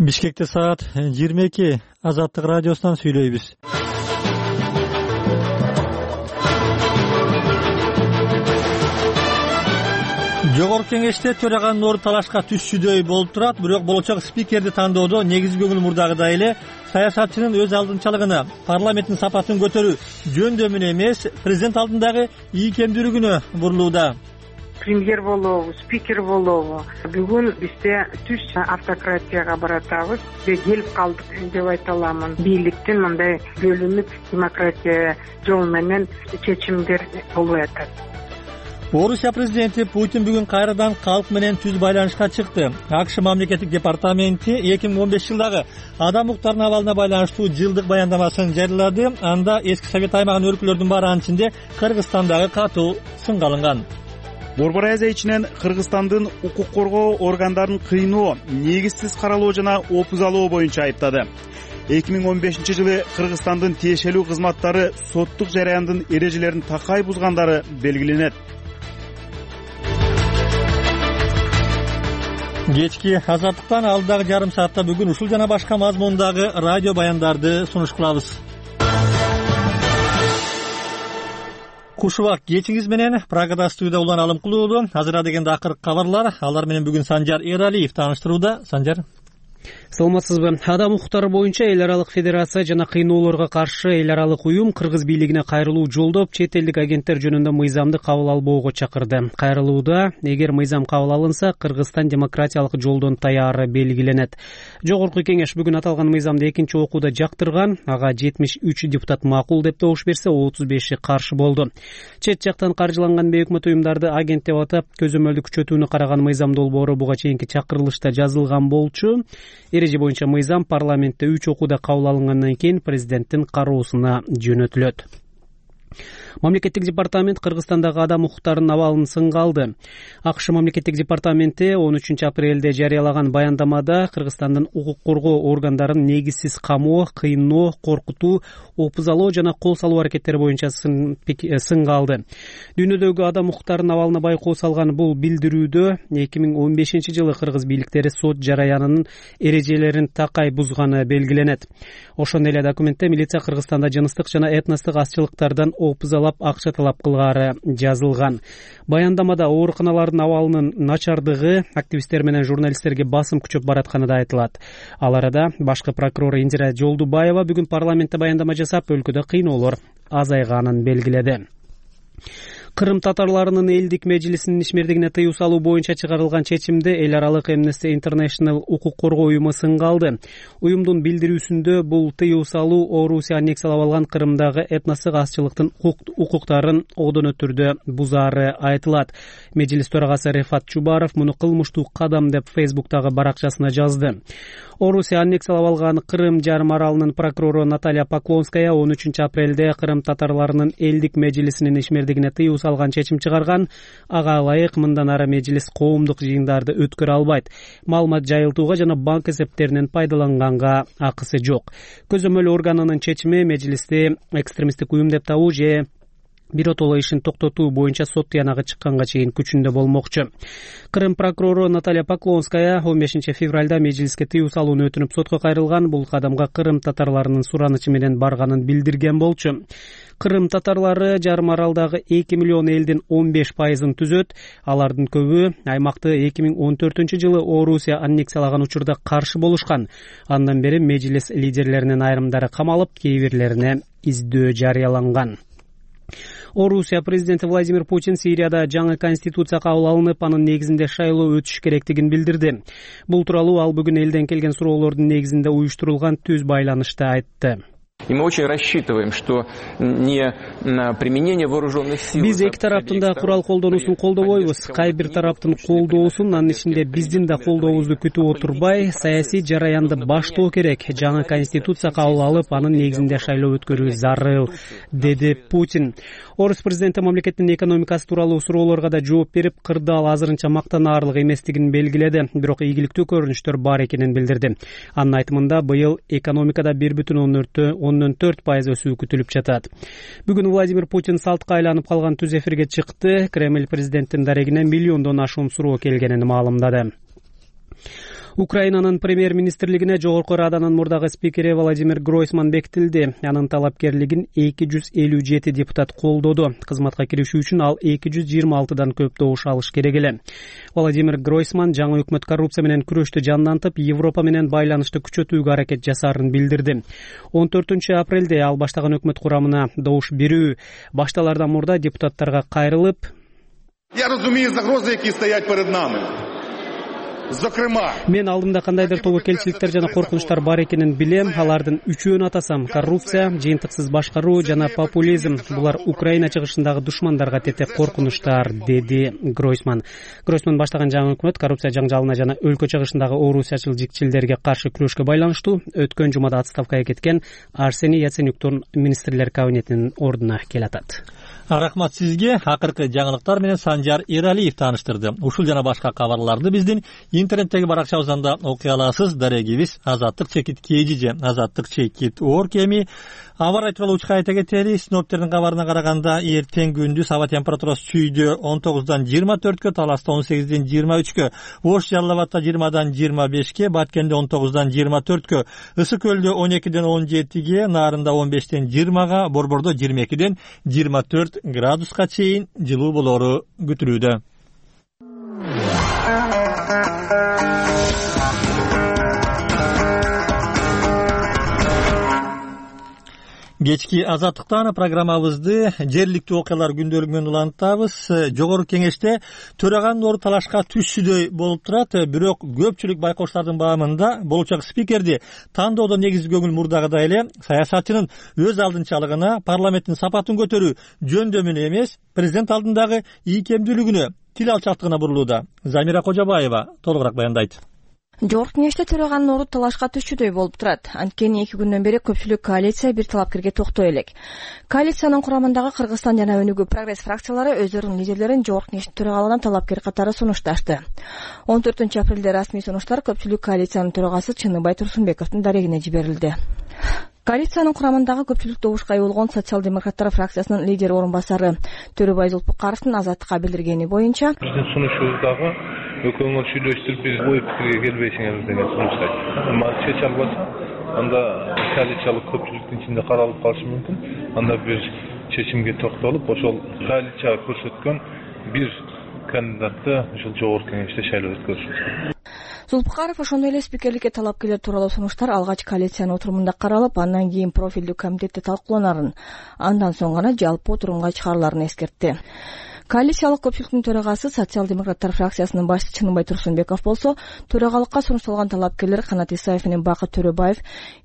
Бишкекте саат 22. Азаттык радиосунан сүйлөйбүз. Жогорку кеңеште төраганын орду талашка түшчүдөй болуп турат, бирок болочок спикерди тандоодо негизги көңүл мурдагыдай эле саясатчынын өз алдынчалыгына, парламенттин сапатын көтөрүү жөндөмүнө эмес, президент алдындагы ийкемдүүлүгүнө бурулууда. Премьер болобу, спикер болобу. Бүгүн бизде түз автократияга баратабыз. Келип калдык деп айта аламын. Бийликтин мындай бөлүнүп демократия жол менен чечимдер болуп атат. Орусия президенти Путин бүгүн кайрадан калк менен түз байланышка чыкты. АКШ мамлекеттик департаменти 2015 жылдагы адам укуктарынын абалына байланыштуу жылдык баяндамасын жарыялады. Анда эски Совет аймагынын өлкөлөрдүн баары ичинде Кыргызстандагы катуу сынга алынган. Борбор Азия ичинен Кыргызстандын укук коргоо органдарын кыйноо, негизсиз каралоо жана опузалоо боюнча айыптады. 2015 жылы Кыргызстандын тиешелүү кызматтары соттук жараяндын эрежелерин такай бузгандары белгиленет. Кечки азаттыктан алдыдагы жарым саатта бүгүн ушул жана башка мазмундагы радио баяндарды сунуш кылабыз. Куш убак кечиңиз менен Прагада студияда Улан Алымкулуу. Азыр дегенде акыркы кабарлар. Алар менен бүгүн Санжар Эралиев тааныштырууда. Санжар. Саламатсызбы? Адам укуктары боюнча эл аралык федерация жана кыйноолорго каршы эл аралык уюм кыргыз бийлигине кайрылуу жолдоп, чет элдик агенттер жөнүндө мыйзамды кабыл албоого чакырды. Кайрылууда эгер мыйзам кабыл алынса, Кыргызстан демократиялык жолдон таяры белгиленет. Жогорку кеңеш бүгүн аталган мыйзамды экинчи окууда жактырган. Ага 73 депутат макул деп добуш берсе, 35 каршы болду. Чет жактан каржыланган бейөкмөт уюмдарды агент деп атап, көзөмөлдү күчөтүүнү караган мыйзам долбоору буга чейинки чакырылышта жазылган болчу. Эреже боюнча мыйзам парламентте 3 окууда кабыл алынгандан кийин президенттин кароосуна жөнөтүлөт. Мамлекеттик департамент Кыргызстандагы адам укуктарынын абалын сынга алды. АКШ мамлекеттик департаменти 13 апрелде жарыялаган баяндамада Кыргызстандын укук коргоо органдарын негизсиз камоо, кыйноо, коркутуу, опузалоо жана кол салуу аракеттери боюнча сынга алды. Дүйнөдөгү адам укуктарынын абалына байкоо салган бул билдирүүдө 2015 жылы кыргыз бийликтери сот жараянынын эрежелерин такай бузганы белгиленет. Ошондой эле документте милиция Кыргызстанда жыныстык жана этностук азчылыктардан опузалап акча талап кылгары жазылган. Баяндамада ооруканалардын абалынын начардыгы активисттер менен журналисттерге басым күчөп баратканы да айтылат. Ал арада башкы прокурор Индира Жолдубаева бүгүн парламентте баяндама жасап, өлкөдө кыйноолор азайганын белгиледи. Кырым татарларынын элдик межлисинин ишмердигине тыюу салуу боюнча чыгарылган чечимди эл аралык Amnesty International укук коргоо уюму сынга алды. Уюмдун билдирүүсүндө бул тыюу салуу Орусия аннексиялап алган Кырымдагы этностук азчылыктын укуктарын одон өтүрдө бузаары айтылат. Межлис төрагасы Рефат Чубаров муну кылмыштуу кадам деп Facebook'тагы баракчасына жазды. Орусия аннексиялап алган Кырым жарым аралынын прокурору Наталья Поклонская 13 апрелде Кырым татарларынын элдик межлисинин ишмердигине тыюу салган чечим чыгарган. Ага ылайык мындан ары межлис коомдук жыйындарды өткөрө албайт. Маалымат жайылтууга жана банк эсептеринен пайдаланганга акысы жок. Көзөмөл органынын чечими межлисти экстремисттик уюм деп табуу же биротоло ишин токтотуу боюнча сот тыянагы чыкканга чейин күчүндө болмокчу. Кырым прокурору Наталья Поклонская 15 февралда межлиске тыюу салууну өтүнүп сотко кайрылган. Бул кадамга Кырым татарларынын суранычы менен барганын билдирген болчу. Кырым татарлары жарым аралдагы 2 миллион элдин 15%-ын түзөт. Алардын көбү аймакты 2014 жылы Орусия аннексиялаган учурда каршы болушкан. Андан бери межлис лидерлеринин айрымдары камалып, кейбирлерине издөө жарыяланган. Орусия президенти Владимир Путин Сирияда жаңы конституция кабыл алынып, анын негизинде шайлоо өтүш керектигин билдирди. Бул тууралуу ал бүгүн элден келген суроолордун негизинде уюштурулган түз байланышта айтты. И мы очень рассчитываем, что не применение вооруженных сил. Биз эки тараптын да курал колдонуусун колдобойбуз. Кай бир тараптын колдоосун, анын ичинде биздин да колдообузду күтүп отурбай, саясий жараянды баштоо керек. Жаңы конституция кабыл алып, анын негизинде шайлоо өткөрүү зарыл, деди Путин. Орус президенти мамлекеттин экономикасы тууралуу суроолорго да жооп берип, кырдаал азырынча мактанаарлык эместигин белгиледи, бирок ийгиликтүү көрүнүштөр бар экенин билдирди. Анын айтымында быйыл экономикада 1,4% өсүү күтүлүп жатат. Бүгүн Владимир Путин салтка айланып калган түз эфирге чыкты. Кремль президенттин дарегине миллиондон ашуун суроо келгенин маалымдады. Украинанын премьер-министрлигине Жогорку Раданын мурдагы спикери Владимир Гройсман бекитилди. Анын талапкерлигин 257 депутат колдоду. Кызматка киришүү үчүн ал 226дан көп добуш алыш керек эле. Владимир Гройсман жаңы өкмөт коррупция менен күрөштү жандантып, Европа менен байланышты күчөтүүгө аракет жасаарын билдирди. 14 апрелде ал баштаган өкмөт курамына добуш берүү башталардан мурда депутаттарга кайрылып: Я разумею загрозы, які стоять перед нами. Мен алдымда кандайдыр тобокелчиликтер жана коркунучтар бар экенин билем. Алардын үчөөнү атасам: коррупция, жыйынтыксыз башкаруу жана популизм. Булар Украина чыгышындагы душмандарга тете коркунучтар, деди Гройсман. Гройсман баштаган жаңы өкмөт коррупция жаңжалына жана өлкө чыгышындагы орусячыл жикчилдерге каршы күрөшкө байланыштуу өткөн жумада отставкага кеткен Арсений Яценюктун министрлер кабинетинин ордуна келатат. Рахмат сизге. Акыркы жаңылыктар менен Санжар Эралиев тааныштырды. Ушул жана башка кабарларды биздин интернеттеги баракчабыздан да окуй аласыз. Дарегибиз azatlyk-kg azatlyk-org эми аба ырайы тууралуу учка айта кетели. Синоптиктердин кабарына караганда эртең күндүз аба температурасы чүйдө 19дан 24кө, Таласта 18ден 23кө, Ош Жалал-Абадта 20дан 25ке, Баткенде 19дан 24кө, Ысык көлдө 12ден 17ге, Нарында 15ден 20га, Борбордо 22ден 24 градуска чейин жылуу болору күтүлүүдө. Кечки Азаттыктан программабызды жергиликтүү окуялар күндөлүгү менен улантабыз. Жогорку кеңеште төраганын орду талашка түшүүдөй болуп турат, бирок көпчүлүк байкоштардын баамында болочок спикерди тандоодо негизги көңүл мурдагыдай эле саясатчынын өз алдынчалыгына, парламенттин сапатын көтөрүү жөндөмүнө эмес, президент алдындагы ийкемдүүлүгүнө, тил алчактыгына бурулууда. Замира Кожобаева толугураак баяндайт. Жогорку кеңеште төраганын орду талашка түшүүдөй болуп турат. Анткени 2 күндөн бери көпчүлүк коалиция бир талапкерге токтой элек. Коалициянын курамындагы Кыргызстан жана Өнүгүү Прогресс фракциялары өздөрүнүн лидерлерин жогорку кеңештин төрагалыгынан талапкер катары сунушташты. 14 апрелде расмий сунуштар көпчүлүк коалициянын төрагасы Чыныбай Турсунбековдун дарегине жиберилди. Коалициянын курамындагы көпчүлүк добушка ээ болгон социал-демократтар фракциясынын лидери орун басары Төрөбай Зулпукаровдун Азаттыкка билдиргени боюнча, биздин сунушубуздагы экөөңөр сүйлөштүрүп биз ой пикирге келбейсиңер деген сунуштайт. Чече албаса, анда коалициялык көпчүлүктүн ичинде каралып калышы мүмкүн. Анда бир чечимге токтолуп, ошол коалиция көрсөткөн бир кандидатты ушул жогорку кеңеште шайлоо өткөрүшүбүз. Зулпукаров ошондой эле спикерликке талапкерлер тууралуу сунуштар алгач коалициянын отурумунда каралып, андан кийин профилдүү комитетте талкууланарын, андан соң гана жалпы отурумга чыгарыларын эскертти. Коалициялык көпчүлүктүн төрагасы социал-демократтар фракциясынын башчысы Чыныбай Турсунбеков болсо, төрагалыкка сунушталган талапкерлер Канат Исаев менен Бакыт Төрөбаев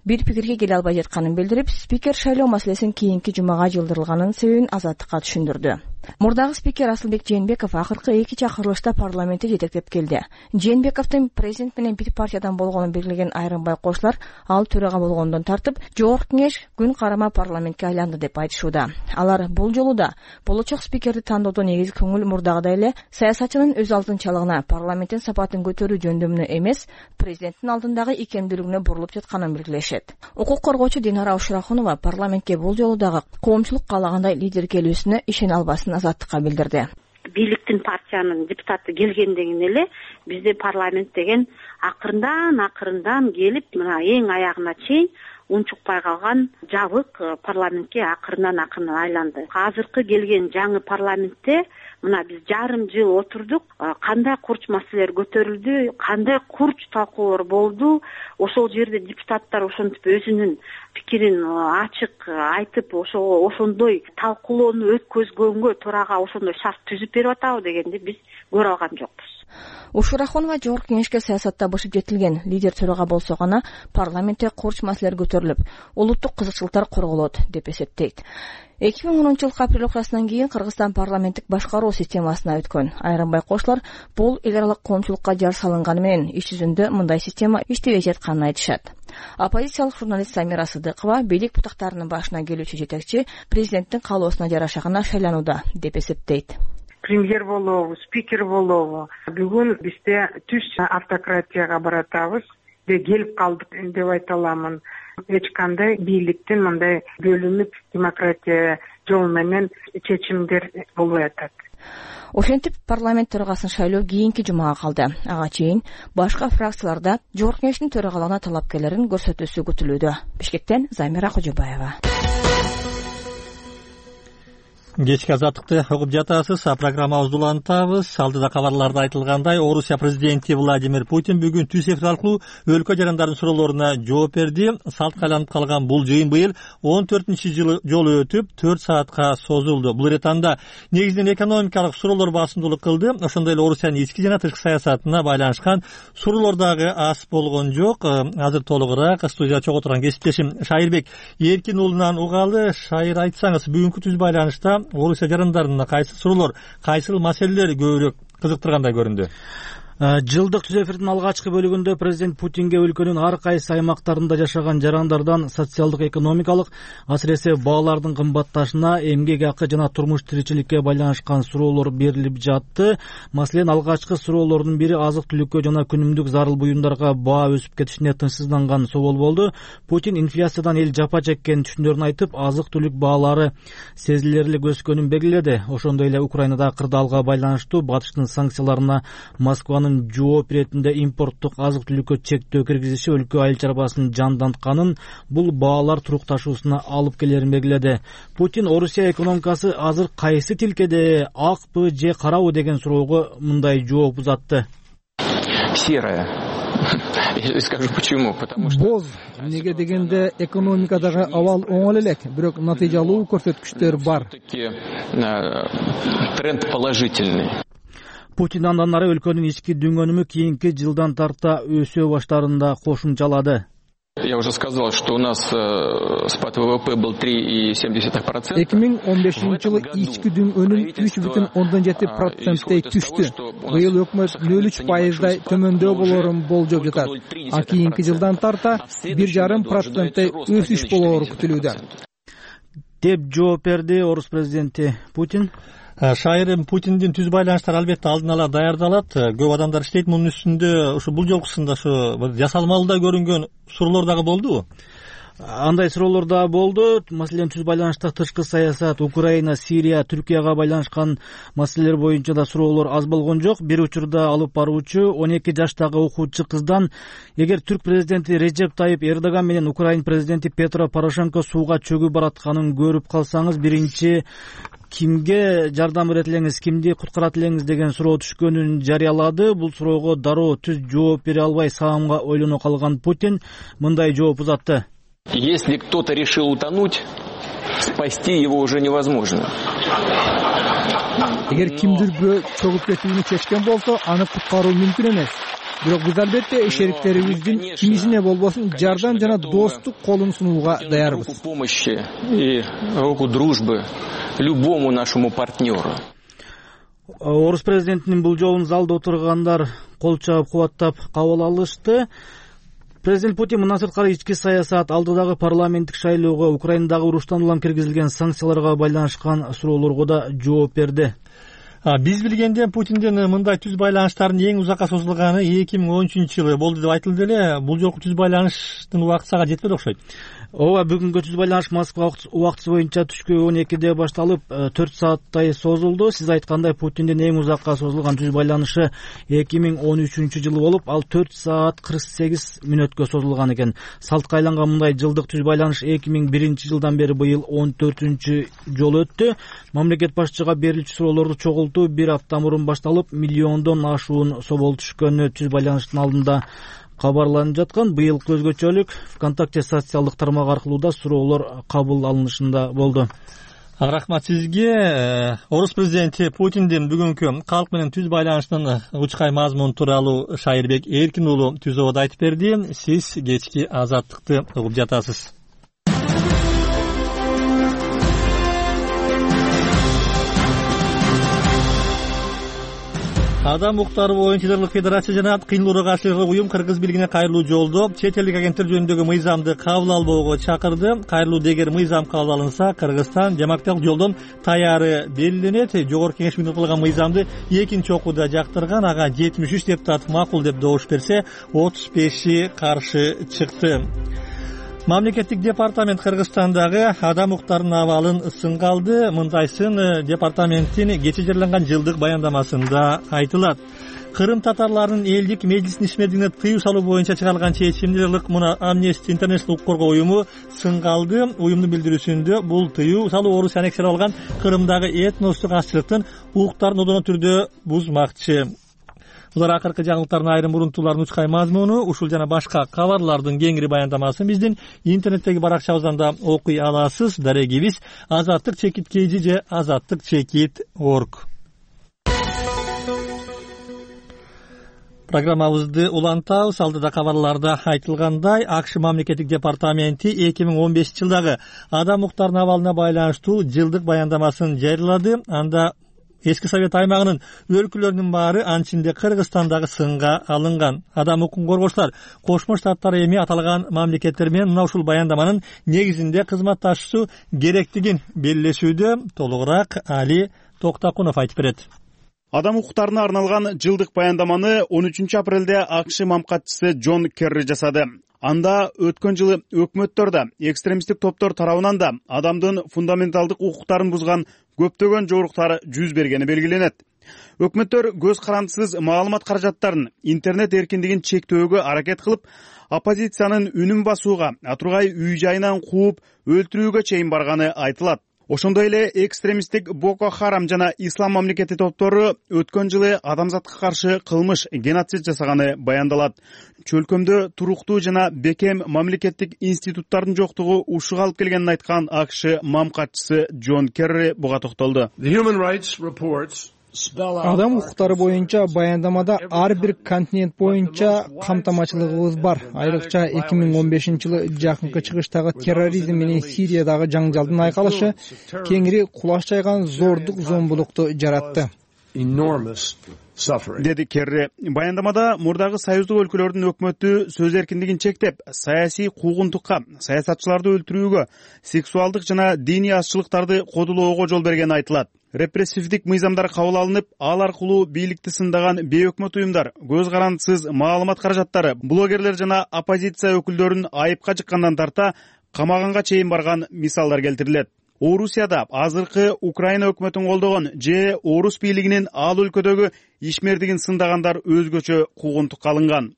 бир пикирге келе албай жатканын билдирип, спикер шайлоо маселесин кийинки жумага жылдырылганын себебин Азаттыкка түшүндүрдү. Мурдагы спикер Асылбек Жээнбеков акыркы 2 чакырылышта парламентти жетектеп келди. Жээнбековдун президент менен бир партиядан болгонун белгилеген айрым байкоочулар ал төрага болгондон тартып, жогорку кеңеш күн карама парламентке айланды деп айтышууда. Алар бул жолу да болочок спикерди тандоодо негизги көңүл мурдагыдай эле саясатчынын өз алдынчалыгына, парламенттин сапатын көтөрүү жөндөмүнө эмес, президенттин алдындагы ийкемдүүлүгүнө бурулуп жатканын белгилешет. Укук коргоочу Динара Ушрахунова парламентке бул жолу дагы коомчулук каалагандай лидер келүүсүнө ишене албасын Азаттыкка билдирди. Бийликтин партиянын депутаты келгенден эле бизде парламент деген акырындан келип, мына эң аягына чейин унчукпай калган жабык парламентке акырындан айланды. Азыркы келген жаңы парламентте мына биз жарым жыл отурдук, кандай курч маселелер көтөрүлдү, кандай курч талкуулар болду, ошол жерде депутаттар ошентип өзүнүн пикирин ачык айтып, ошондой талкуулоону өткөзгөнгө төрага ошондой шарт түзүп берип атабы дегенди биз көрө алган жокпуз. Ушурахунова жогорку кеңешке саясатта бышып жетилген лидер төрага болсо гана парламентте курч маселелер көтөрүлүп, улуттук кызыкчылыктар корголот деп эсептейт. 2010-жылкы апрель окуясынан кийин Кыргызстан парламенттик башкаруу системасына өткөн. Айрым байкоочулар бул эл аралык коомчулукка жар салынганы менен иш жүзүндө мындай система иштебей жатканын айтышат. Оппозициялык журналист Самира Сыдыкова бийлик бутактарынын башына келүүчү жетекчи президенттин каалоосуна жараша гана шайланууда деп эсептейт. Премьер болобу, спикер болобу. Бүгүн бизде түз автократияга баратабыз. Келип калдык деп айта аламын. Эч кандай бийликтин мындай бөлүнүп демократия жолу менен чечимдер болбой атат. Ошентип парламент төрагасын шайлоо кийинки жумага калды. Ага чейин башка фракцияларда Жогорку Кеңештин төрагалыгына талапкерлерин көрсөтүүсү күтүлүүдө. Бишкектен Замира Кожобаева. Кечки азаттыкты угуп жатасыз. Программабызды улантабыз. Алдыда кабарларда айтылгандай, Орусия президенти Владимир Путин бүгүн түз эфир аркылуу өлкө жарандардын суроолоруна жооп берди. Салтка айланып калган бул жыйын быйыл 14-жолу өтүп 4 саатка созулду. Бул иретанда негизинен экономикалык суроолор басымдуулук кылды. Ошондой эле Орусиянын ички жана тышкы саясатына байланышкан суроолор дагы аз болгон жок. Азыр толугураак студияда чогуу турган кесиптешим Шайырбек Эркин уулунан угалы. Шайыр, айтсаңыз, бүгүнкү түз байланышта Орусия жарандарына кайсы суроолор, кайсы маселелер көбүрөөк кызыктыргандай көрүндү? Жылдык түз эфирдин алгачкы бөлүгүндө президент Путинге өлкөнүн ар кайсы аймактарында жашаган жарандардан социалдык, экономикалык, асыресе баалардын кымбатташына, эмгек акы жана турмуш тиричиликке байланышкан суроолор берилип жатты. Маселен, алгачкы суроолордун бири азык-түлүккө жана күнүмдүк зарыл буюмдарга баа өсүп кетишине тынчсызданган соол болду. Путин инфляциядан эл жапа чеккенин түшүндөрүн айтып, азык-түлүк баалары сезилерлик өскөнүн белгиледи. Ошондой эле Украинада кырдаалга байланыштуу батыштын санкцияларына Москванын жооп иретинде импорттук азык-түлүккө чектөө киргизиши өлкө айыл чарбасын жандантканын, бул баалар турукташуусуна алып келерин белгиледи. Путин Орусия экономикасы азыр кайсы тилкеде, акпы же карабы деген суроого мындай жооп узатты. Серая. Я скажу почему. Потому что боз. Неге дегенде экономикадагы абал оңол элек, бирок натыйжалуу көрсөткүчтөр бар. Тренд положительный. Путин андан ары өлкөнүн ички дүнгөнүмү кийинки жылдан тарта өсө баштаарын да кошумчалады. Я уже сказал, что у нас спад ВВП был 3,7%. 2015-жылы ички дүнгөнүм 3,7%й түштү. Быйыл өкмөт 0,3%дай төмөндөө болорун болжоп жатат. А кийинки жылдан тарта 1,5%й өсүш болору күтүлүүдө. Деп жооп берди Орус президенти Путин. Шайыр, Путиндин түз байланыштары албетте алдын ала даярдалат. Көп адамдар иштейт мунун үстүндө. Ушу бул жолкусунда ушу жасалмалуу көрүнгөн суроолор дагы болдубу? Андай суроолор да болду. Маселен, түз байланышта тышкы саясат, Украина, Сирия, Түркияга байланышкан маселелер боюнча да суроолор аз болгон жок. Бир учурда алып баруучу 12 жаштагы окуучу кыздан, эгер түрк президенти Режеп Тайип Эрдоган менен Украин президенти Петро Порошенко сууга чөгүп баратканын көрүп калсаңыз, биринчи кимге жардам берет элеңиз, кимди куткарат элеңиз деген суроо түшкөнүн жарыялады. Бул суроого дароо түз жооп бере албай саамга ойлоно калган Путин мындай жооп узатты. Если кто-то решил утонуть, спасти его уже невозможно. Эгер кимдир бирөө чөгүп кетүүнү чечкен болсо, аны куткаруу мүмкүн эмес. Бирок биз албетте шериктерибиздин кимисине болбосун жардам жана достук колун сунууга даярбыз. Руку помощи и руку дружбы любому нашему партнеру. Орус президентинин бул жолун залда отургандар кол чабып кубаттап кабыл алышты. Президент Путин мындан сырткары ички саясат, алдыдагы парламенттик шайлоого, Украинадагы уруштан улам киргизилген санкцияларга байланышкан суроолорго да жооп берди. Биз билгенден Путиндин мындай түз байланыштардын эң узакка созулганы 2013-жылы болду деп айтылды эле. Бул жолку түз байланыштын убакыты сага жетпеди окшойт. Ооба, бүгүнкү түз байланыш Москва убактысы боюнча түшкү 12-де башталып 4 сааттай созулду. Сиз айткандай, Путиндин эң узакка созулган түз байланышы 2013-жылы болуп, ал 4 саат 48 мүнөткө созулган экен. Салтка айланган мындай жылдык түз байланыш 2001-жылдан бери быйыл 14-жолу өттү. Мамлекет башчыга берилчү суроолорду чогултуу бир апта мурун башталып, миллиондон ашуун соол түшкөнү түз байланыштын алдында кабарланып жаткан. Быйылкы өзгөчөлүк ВКонтакте социалдык тармак аркылуу да суроолор кабыл алынышында болду. Рахмат сизге. Орус президенти Путиндин бүгүнкү калк менен түз байланыштын учкай мазмуну тууралуу Шайырбек Эркин уулу түз ободо айтып берди. Сиз кечки азаттыкты угуп жатасыз. Адам укуктары боюнча Жерлик Федерация жана кыйынлууга каршы уюм кыргыз бийлигине кайрылуу жолдоп, чет элдик агенттер жөнүндөгү мыйзамды кабыл албоого чакырды. Кайрылуу дегер мыйзам кабыл алынса, Кыргызстан демократиялык жолдон таяры белгиленет. Жогорку Кеңеш менен кылган мыйзамды экинчи окууда жактырган, ага 73 депутат макул деп добуш берсе, 35 каршы чыкты. Мамлекеттик департамент Кыргызстандагы адам укуктарынын абалын сынга алды. Мындайсын департаменттин кечээ жарыяланган жылдык баяндамасында айтылат. Кырым татарларынын элдик межлисинин ишмердигине тыюу салуу боюнча чыгарылган чечимди мына Amnesty International укук коргоо уюму сынга алды. Уюмдун билдирүүсүндө бул тыюу салуу орус аннексиялап алган Кырымдагы этностук азчылыктын укуктарын одоно түрдө бузмакчы. Булар акыркы жаңылыктардын айрым урунтуулар нучкай мазмуну. Ушул жана башка кабарлардын кеңири баяндамасын биздин интернеттеги баракчабыздан да окуй аласыз. Дарегибиз azattik.kg же azattik.org. Программабызды улантабыз. Алдыда кабарларда айтылгандай, АКШ мамлекеттик департаменти 2015-жылдагы адам укуктарынын абалына байланыштуу жылдык баяндамасын жарыялады. Анда Эски Совет аймагынын өлкөлөрүнүн баары, анчинде Кыргызстандагы сынга алынган. Адам укугун коргоочулар Кошмо Штаттар эми аталган мамлекеттер менен мына ушул баяндаманын негизинде кызматташуу керектигин белгилешүүдө. Толугураак Али Токтакунов айтып берет. Адам укуктарына арналган жылдык баяндаманы 13 апрелде АКШ мамкатчысы Джон Керри жасады. Анда өткөн жылы өкмөттөр да, экстремисттик топтор тарабынан да адамдын фундаменталдык укуктарын бузган көптөгөн жоруктар жүз бергени белгиленет. Өкмөттөр көз карандысыз маалымат каражаттарын, интернет эркиндигин чектөөгө аракет кылып, оппозициянын үнүн басууга, атургай үй жайынан кууп, өлтүрүүгө чейин барганы айтылат. Ошондой эле экстремисттик Боко Харам жана Ислам мамлекети топтору өткөн жылы адамзатка каршы кылмыш, геноцид жасаганы баяндалат. Чөлкөмдө туруктуу жана бекем мамлекеттик институттардын жоктугу ушуга алып келгенин айткан АКШ мамкатчысы Джон Керри буга токтолду. Адам укуктары боюнча баяндамада ар бир континент боюнча камтамачылыгыбыз бар. Айрыкча 2015-жылы жакынкы чыгыштагы терроризм менен Сириядагы жаңжалдын айкалышы кеңири кулаш жайган зордук зомбулукту жаратты, деди Керри. Баяндамада мурдагы союздук өлкөлөрдүн өкмөтү сөз эркиндигин чектеп, саясий куугунтукка, саясатчыларды өлтүрүүгө, сексуалдык жана диний азчылыктарды кодулоого жол бергени айтылат. Репрессивдик мыйзамдар кабыл алынып, ал аркылуу бийликти сындаган бейөкмөт уюмдар, көз карандысыз маалымат каражаттары, блогерлер жана оппозиция өкүлдөрүн айыпка жыккандан тарта камаганга чейин барган мисалдар келтирилет. Орусияда азыркы Украина өкмөтүн колдогон же орус бийлигинин ал өлкөдөгү ишмердигин сындагандар өзгөчө куугунтукка алынган.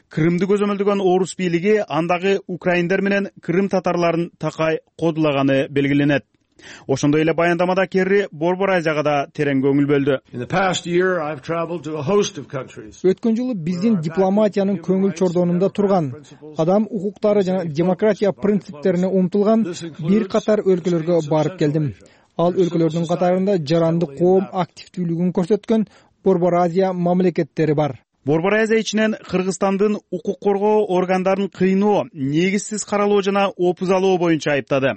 Крымды көзөмөлдөгөн орус бийлиги андагы украиндер менен Крым татарларын такай кодулаганы белгиленет. Ошондой эле баяндамада Керри Борбор Азияга да терең көңүл бөлдү. Өткөн жылы биздин дипломатиянын көңүл чордонунда турган, адам укуктары жана демократия принциптерине умтулган бир катар өлкөлөргө барып келдим. Ал өлкөлөрдүн катарында жаранды коом активдүүлүгүн көрсөткөн Борбор Азия мамлекеттери бар. Борбор Азия ичинен Кыргызстандын укук коргоо органдарын кыйноо, негизсиз каралоо жана опуз алуу боюнча айыптады.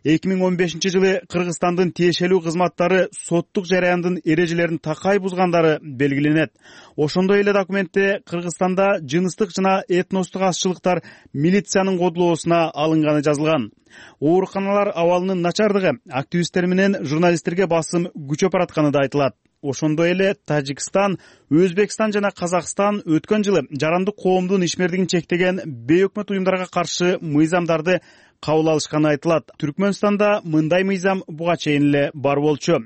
2015-жылы Кыргызстандын тиешелүү кызматтары соттук жараяндын эрежелерин такай бузгандары белгиленет. Ошондой эле документте Кыргызстанда жыныстык жана этностук азчылыктар милициянын кодулоосуна алынганы жазылган. Ооруканалар абалынын начардыгы активисттер менен журналисттерге басым күчөп баратканы да айтылат. Ошондой эле Тажикстан, Өзбекстан жана Казакстан өткөн жылы жарандык коомдун ишмердигин чектеген бейөкмөт уюмдарга каршы мыйзамдарды кабыл алышканы айтылат. Түркмөнстанда мындай мыйзам буга чейин эле бар болчу.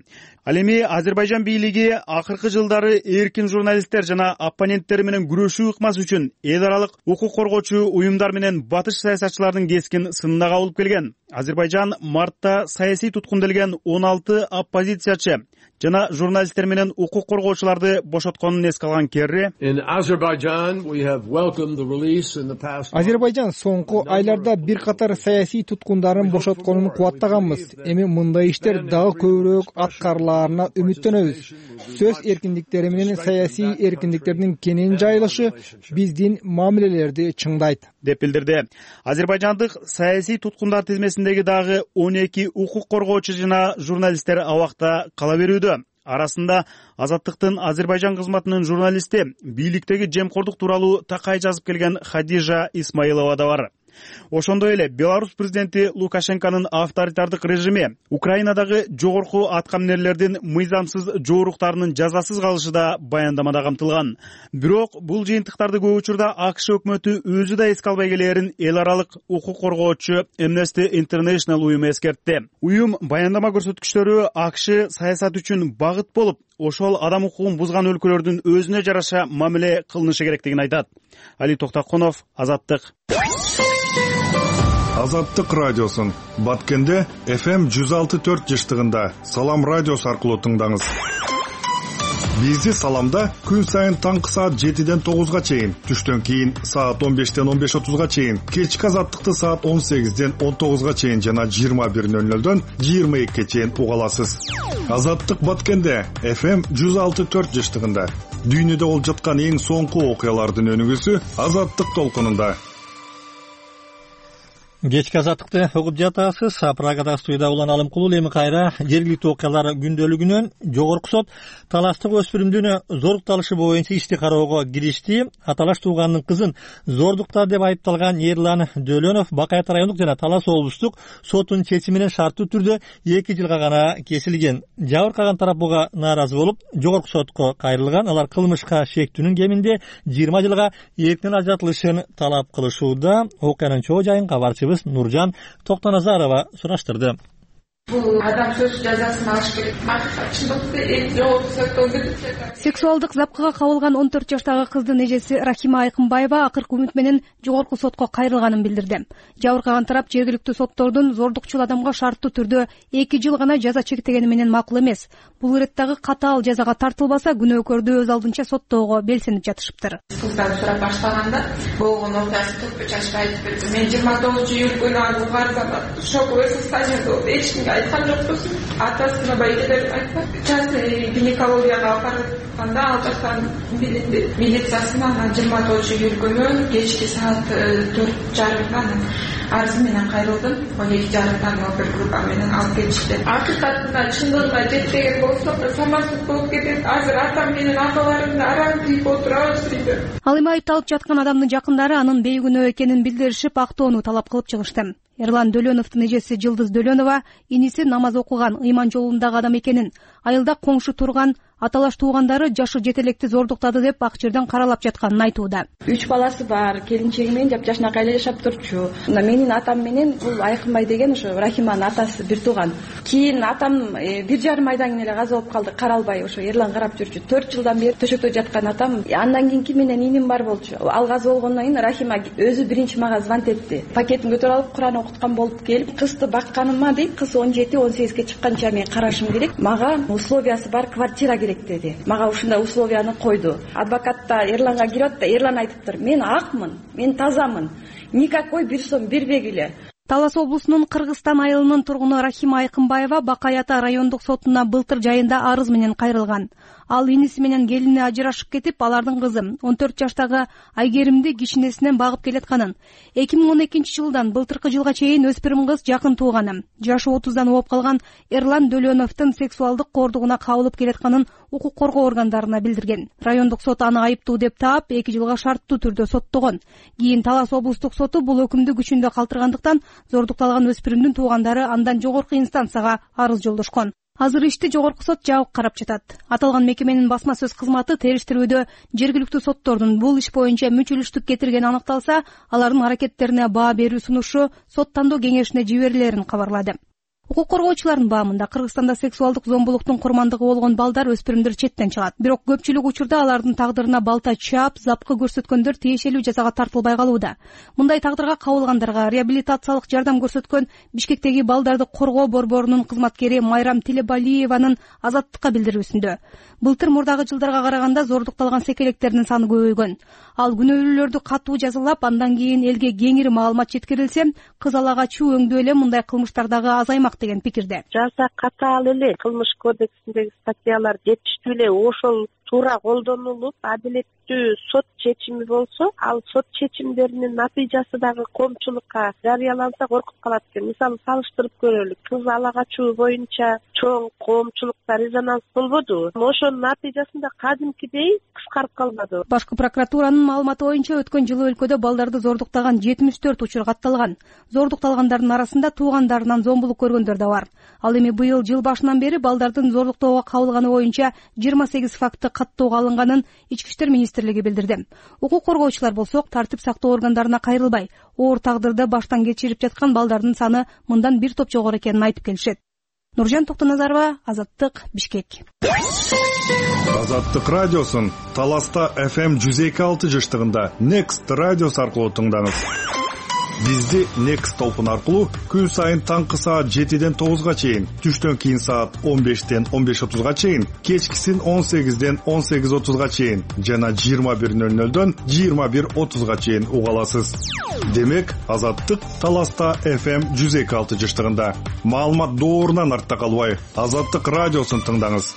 Ал эми Азербайжан бийлиги акыркы жылдары эркин журналисттер жана оппоненттери менен күрөшүү ыкмасы үчүн эл аралык укук коргоочу уюмдар менен батыш саясатчылардын кескин сынына кабылып келген. Азербайжан мартта саясий туткунделген 16 оппозициячы жана журналисттер менен укук коргоочуларды бошотконун эске алган Керри Азербайжан соңку айларда бир катар саясий туткундарын бошотконун кубаттаганбыз. Эми мындай иштер дагы көбүрөөк аткарылаарына үмүттөнөбүз. Сөз эркиндиктери менен саясий эркиндиктердин кенен жайылышы биздин мамилелерди чыңдайт, деп билдирди. Азербайжандык саясий туткундар тизмесиндеги дагы 12 укук коргоочу жана журналисттер абакта кала берүүдө. Арасында Азаттыктын Азербайжан кызматынын журналисти, бийликтеги жемкордук тууралуу такай жазып келген Хадижа Исмаилова да бар. Ошондой эле Беларусь президенти Лукашенконун авторитардык режими Украинадагы жогорку аткаминерлердин мыйзамсыз жооруктарынын жазасыз калышы да баяндамада камтылган. Бирок бул жыйынтыктарды көп учурда АКШ өкмөтү өзү да эске албай келээрин эл аралык укук коргоочу Amnesty International уюму эскертти. Уюм баяндама көрсөткүчтөрү АКШ саясат үчүн багыт болуп, ошол адам укугун бузган өлкөлөрдүн өзүнө жараша мамиле кылынышы керектигин айтат. Али Токтакунов, Азаттык. Азаттык радиосун Баткенде FM 106.4 жыштыгында Салам радиосу аркылуу тыңдаңыз. Бизди Саламда күн сайын таңкы саат 7ден 9га чейин, түштөн кийин саат 15ден 15:30га чейин, кечки Азаттыкты саат 18ден 19га чейин жана 21:00дөн 22ге чейин уга аласыз. Азаттык Баткенде FM 106.4 жыштыгында дүйнөдө болуп жаткан эң соңку окуялардын өнүгүүсү Азаттык толкунунда. Кечки Азаттыкты угуп жатасыз. Прагада студияда Улан Алымкулуу. Эми кайра жергиликтүү окуялар күндөлүгүнөн жогорку сот таластык өспүрүмдүн зордукталышы боюнча ишти кароого киришти. Аталаш тууганынын кызын зордукта деп айыпталган Эрлан Дөлөнов Бакай Ата райондук жана Талас облустук сотунун чечими менен шарттуу түрдө 2 жылга гана кесилген. Жабыркаган тарап буга нааразы болуп, жогорку сотко кайрылган. Алар кылмышка шектүүнүн кеминде 20 жылга эркинен ажыратылышын талап кылышууда. Окуянын чоо жайын кабарчыбыз Нуржан Токтоназарова сураштырды. Бул адам сөз жазасын алыш керек. Чындыкты жогорку соттон кетти. Сексуалдык запкыга кабылган 14 жаштагы кыздын эжеси Рахима Айкынбаева акыркы үмүт менен жогорку сотко кайрылганын билдирди. Жабыркаган тарап жергиликтүү соттордун зордукчул адамга шарттуу түрдө 2 жыл гана жаза чектегени менен макул эмес. Бул иреттагы катаал жазага тартылбаса, күнөөкөрдү өз алдынча соттоого белсенип жатышыптыр. Кыздан сурап баштаганда болгон окуясы төрт чачып айтып берди. Мен 29-июль күнү аны угарзам, шоковый состояние болду. Эч кимге айткан жокпуз. Атасына байкелер айткан. Частный гинекологияга алып барганда ал жактан билинди. Милициясына 29-июль күнү кечки саат 4:30 арыз менен кайрылдым. 12:30 опер группа менен алып кетишти. Акыйкатында чындыгына жетпеген болсо, самарсыз болуп кетет. Азыр атам менен апаларым араң тийип отурабыз дейди. Ал эми айыпталып жаткан адамдын жакындары анын бейгүнөө экенин билдиришип, актоону талап кылып чыгышты. Эрлан Дөлөновдун эжеси Жылдыз Дөлөнова иниси намаз окуган, ыйман жолундагы адам экенин, айылда коңшу турган аталаш туугандары жашы жетелекти зордуктады деп ак жерден каралап жатканын айтууда. 3 баласы бар, келинчеги менен жапжашнакай эле жашап турчу. Менин атам менен бул Айкынбай деген ошо Рахиманын атасы бир тууган. Кийин атам 1,5 айдан кийин эле каза болуп калды, каралбай ошо Эрлан карап жүрчү. 4 жылдан бери төшөктө жаткан атам. Андан кийинки менен иним бар болчу. Ал каза болгондон кийин Рахима өзү биринчи мага звонт этти. Пакетин көтөрүп алып Куран окуткан болуп келип, кызды бакканыма дейт, кыз 17-18ге чыкканча мен карашым керек. Мага условиясы бар квартира керек деди. Мага ушундай условияны койду. Адвокатта Эрланга кирип, Эрлан айтыптыр: "Мен акмын, мен тазамын. Никакой бир сом бербегиле." Талас облусунун Кыргызстан айылынын тургуну Рахима Айкынбаева Бакай Ата райондук сотуна былтыр жайында арыз менен кайрылган. Ал иниси менен келини ажырашып кетип, алардын кызы 14 жаштагы Айгеримди кичинесинен багып келатканын, 2012-жылдан былтыркы жылга чейин өспүрүм кыз жакын тууганы, жашы 30дан болуп калган Эрлан Дөлөновдун сексуалдык коордугуна кабылып келатканын укук коргоо органдарына билдирген. Райондук сот аны айыптуу деп таап 2 жылга шарттуу түрдө соттогон. Кийин Талас облустук соту бул өкүмдү күчүндө калтыргандыктан зордукталган өспүрүмдүн туугандары андан жогорку инстанцияга арыз жолдошкон. Азыр ишти жогорку сот жабык карап жатат. Аталган мекеменин басма сөз кызматы териштирүүдө жергиликтүү соттордун бул иш боюнча мүчүлүштүк кетиргени аныкталса, алардын аракеттерине баа берүү сунушу сот тандоо кеңешине жиберилерин кабарлады. Укук коргоочулардын баамында Кыргызстанда сексуалдык зомбулуктун курмандыгы болгон балдар, өспүрүмдөр четтен чыгат. Бирок көпчүлүк учурда алардын тагдырына балта чаап, запкы көрсөткөндөр тиешелүү жазага тартылбай калууда. Мындай тагдырга кабылгандарга реабилитациялык жардам көрсөткөн Бишкектеги балдарды коргоо борборунун кызматкери Майрам Телебалиеванын Азаттыкка билдирүүсүндө былтыр мурдагы жылдарга караганда зордукталган секелектердин саны көбөйгөн. Ал күнөөлүүлөрдү катуу жазалап, андан кийин элге кеңири маалымат жеткирилсе, кыз алагачуу өңдүү эле мындай кылмыштардагы азаймак деген пикирде. Жаза катаал эле, кылмыш кодексиндеги статьялар жетиштүү эле, ошол туура колдонулуп адилеттүү сот чечими болсо, ал сот чечимдеринин натыйжасы дагы коомчулукка жарыяланса коркуп калат экен. Мисалы салыштырып көрөлүк, кыз ала качуу боюнча чоң коомчулукта резонанс болбодубу? Ошонун натыйжасында кадимкидей кыскарып калбады. Башкы прокуратуранын маалыматы боюнча өткөн жылы өлкөдө балдарды зордуктаган 74 учур катталган. Зордукталгандардын арасында туугандарынан зомбулук көргөндөр да бар. Ал эми быйыл жыл башынан бери балдардын зордуктоого кабылганы боюнча 28 факты каттоого алынганын Ички иштер министрлиги билдирди. Укук коргоочулар болсо тартип сактоо органдарына кайрылбай, оор тагдырды баштан кечирип жаткан балдардын саны мындан бир топ жогору экенин айтып келишет. Нуржан Токтоназарова, Азаттык, Бишкек. Азаттык радиосун Таласта FM 102.6 жыштыгында Next радиосу аркылуу тыңдаңыз. Бизди Next толкун аркылуу күн сайын таңкы саат 7ден 9га чейин, түштөн кийин саат 15ден 15:30га чейин, кечкисин 18ден 18:30га чейин жана 21:00дөн 21:30га чейин уга аласыз. Демек, Азаттык Таласта FM 102.6 жыштыгында. Маалымат доорунан артта калбай, Азаттык радиосун тыңдаңыз.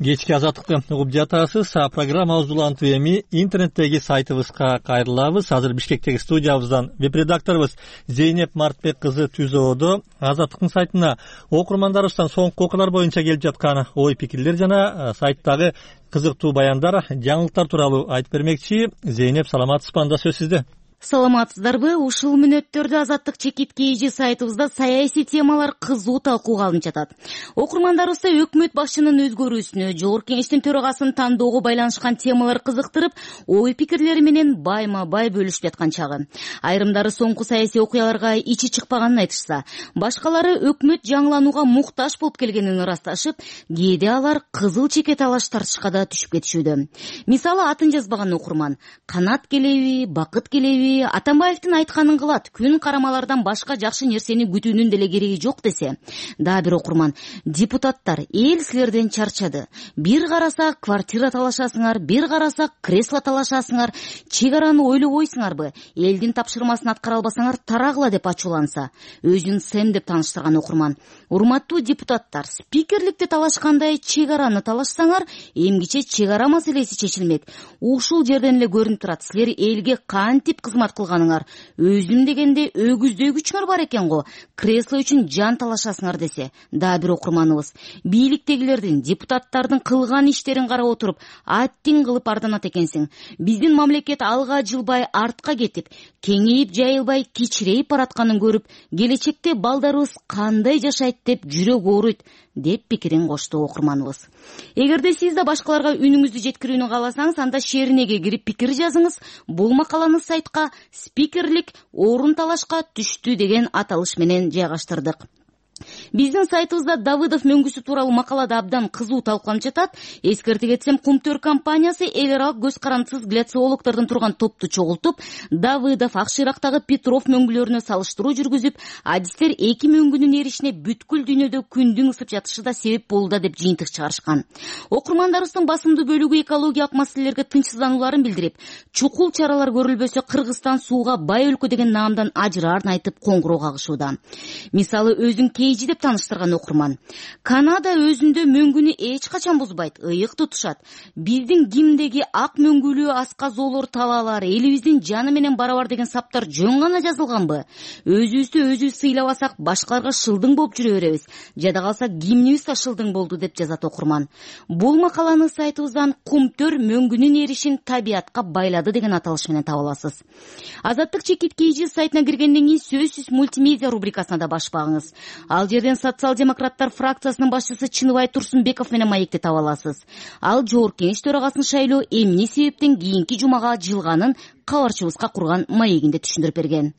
Кечки Азаттыкты угуп жатасыз. Программабызды улантып эми интернеттеги сайтыбызга кайрылабыз. Азыр Бишкектеги студиябыздан веб-редакторубуз Зейнеп Мартбек кызы түзөөдө Азаттыктын сайтына окурмандарыбыздан соңку окуулар боюнча келип жаткан ой пикирлер жана сайттагы кызыктуу баяндар, жаңылыктар тууралуу айтып бермекчи. Зейнеп, саламатсызбы? Анда сөз сизде. Саламатсыздарбы? Ушул мүнөттөрдө Азаттык чекиткейжи сайтыбызда саясий темалар кызуу талкууга алынып жатат. Окурмандарыбызды өкмөт башчынын өзгөрүүсүнө, Жогорку Кеңештин төрагасын тандоого байланышкан темалар кызыктырып, ой пикирлери менен байма-бай бөлүшүп жаткан чагы. Айрымдары соңку саясий окуяларга ичи чыкпаганын айтышса, башкалары өкмөт жаңыланууга муктаж болуп келгенин ырасташып, кээде алар кызыл чеке талаш тартышка да түшүп кетишүүдө. Мисалы, атын жазбаган окурман канат келеби, бакыт келеби, Атамбаевдин айтканын кылат, күн карамалардан башка жакшы нерсени күтүүнүн деле кереги жок десе. Дагы бир окурман: депутаттар, эл силерден чарчады. Бир караса квартира талашасыңар, бир караса кресло талашасыңар, чек араны ойлобойсуңарбы? Элдин тапшырмасын аткара албасаңар тарагыла деп ачууланса. Өзүн Сэм деп тааныштырган окурман: урматтуу депутаттар, спикерликти талашкандай чек араны талашсаңар, эмгиче чек ара маселеси чечилмек. Ушул жерден эле көрүнүп турат, силер элге кантип кызмат кылганыңар. Өзүм дегенде өгүздөй күчүңөр бар экен го. Кресло үчүн жан талашасыңар десе. Дагы бир окурманыбыз: бийликтегилердин, депутаттардын кылган иштерин карап отуруп, аттин кылып арданат экенсиң. Биздин мамлекет алга жылбай, артка кетип, кеңейип жайылбай, кичирейип баратканын көрүп, келечекте балдарыбыз кандай жашайт деп жүрөк ооруйт, деп пикирин кошту окурманыбыз. Эгерде сиз да башкаларга үнүңүздү жеткирүүнү кааласаңыз, анда шеринеге кирип пикир жазыңыз. Бул макаланы сайтка «Спикерлик орун талашка түштү» деген аталыш менен жайгаштырдык. Биздин сайтыбызда Давыдов мөңгүсү тууралуу макалада абдан кызуу талкууланып жатат. Эскерте кетсем, Кумтөр компаниясы эл аралык көз карандысыз гляциологдордун турган топту чогултуп, Давыдов, Акшырактагы Петров мөңгүлөрүнө салыштыруу жүргүзүп, адистер эки мөңгүнүн эришине бүткүл дүйнөдө күндүн ысып жатышы да себеп болууда деп жыйынтык чыгарышкан. Окурмандарыбыздын басымдуу бөлүгү экологиялык маселелерге тынчсызданууларын билдирип, чукул чаралар көрүлбөсө Кыргызстан сууга бай өлкө деген наамдан ажыраарын айтып коңгуроо кагышууда. Мисалы, өзүн деп тааныштырган окурман: Канада өзүндө мөңгүнү эч качан бузбайт, ыйык тутушат. Биздин гимндеги ак мөңгүлүү аска-зоолор талаалар, элибиздин жаны менен барабар деген саптар жөн гана жазылганбы? Өзүбүздү өзүбүз сыйлабасак, башкаларга шылдың болуп жүрө беребиз. Жада калса гимнибиз да шылдың болду деп жазат окурман. Бул макаланы сайтыбыздан «Кумтөр мөңгүнүн эришин табиятка байлады» деген аталыш менен таба аласыз. Азаттык чекиткейжи сайтына киргенден кийин сөзсүз мультимедиа рубрикасына да баш багыңыз. Ал жерден социал-демократтар фракциясынын башчысы Чыныбай Турсунбеков менен маекти таба аласыз. Ал Жогорку Кеңеш төрагасын шайлоо эмне себептен кийинки жумага жылганын кабарчыбызга курган маегинде түшүндүрүп берген.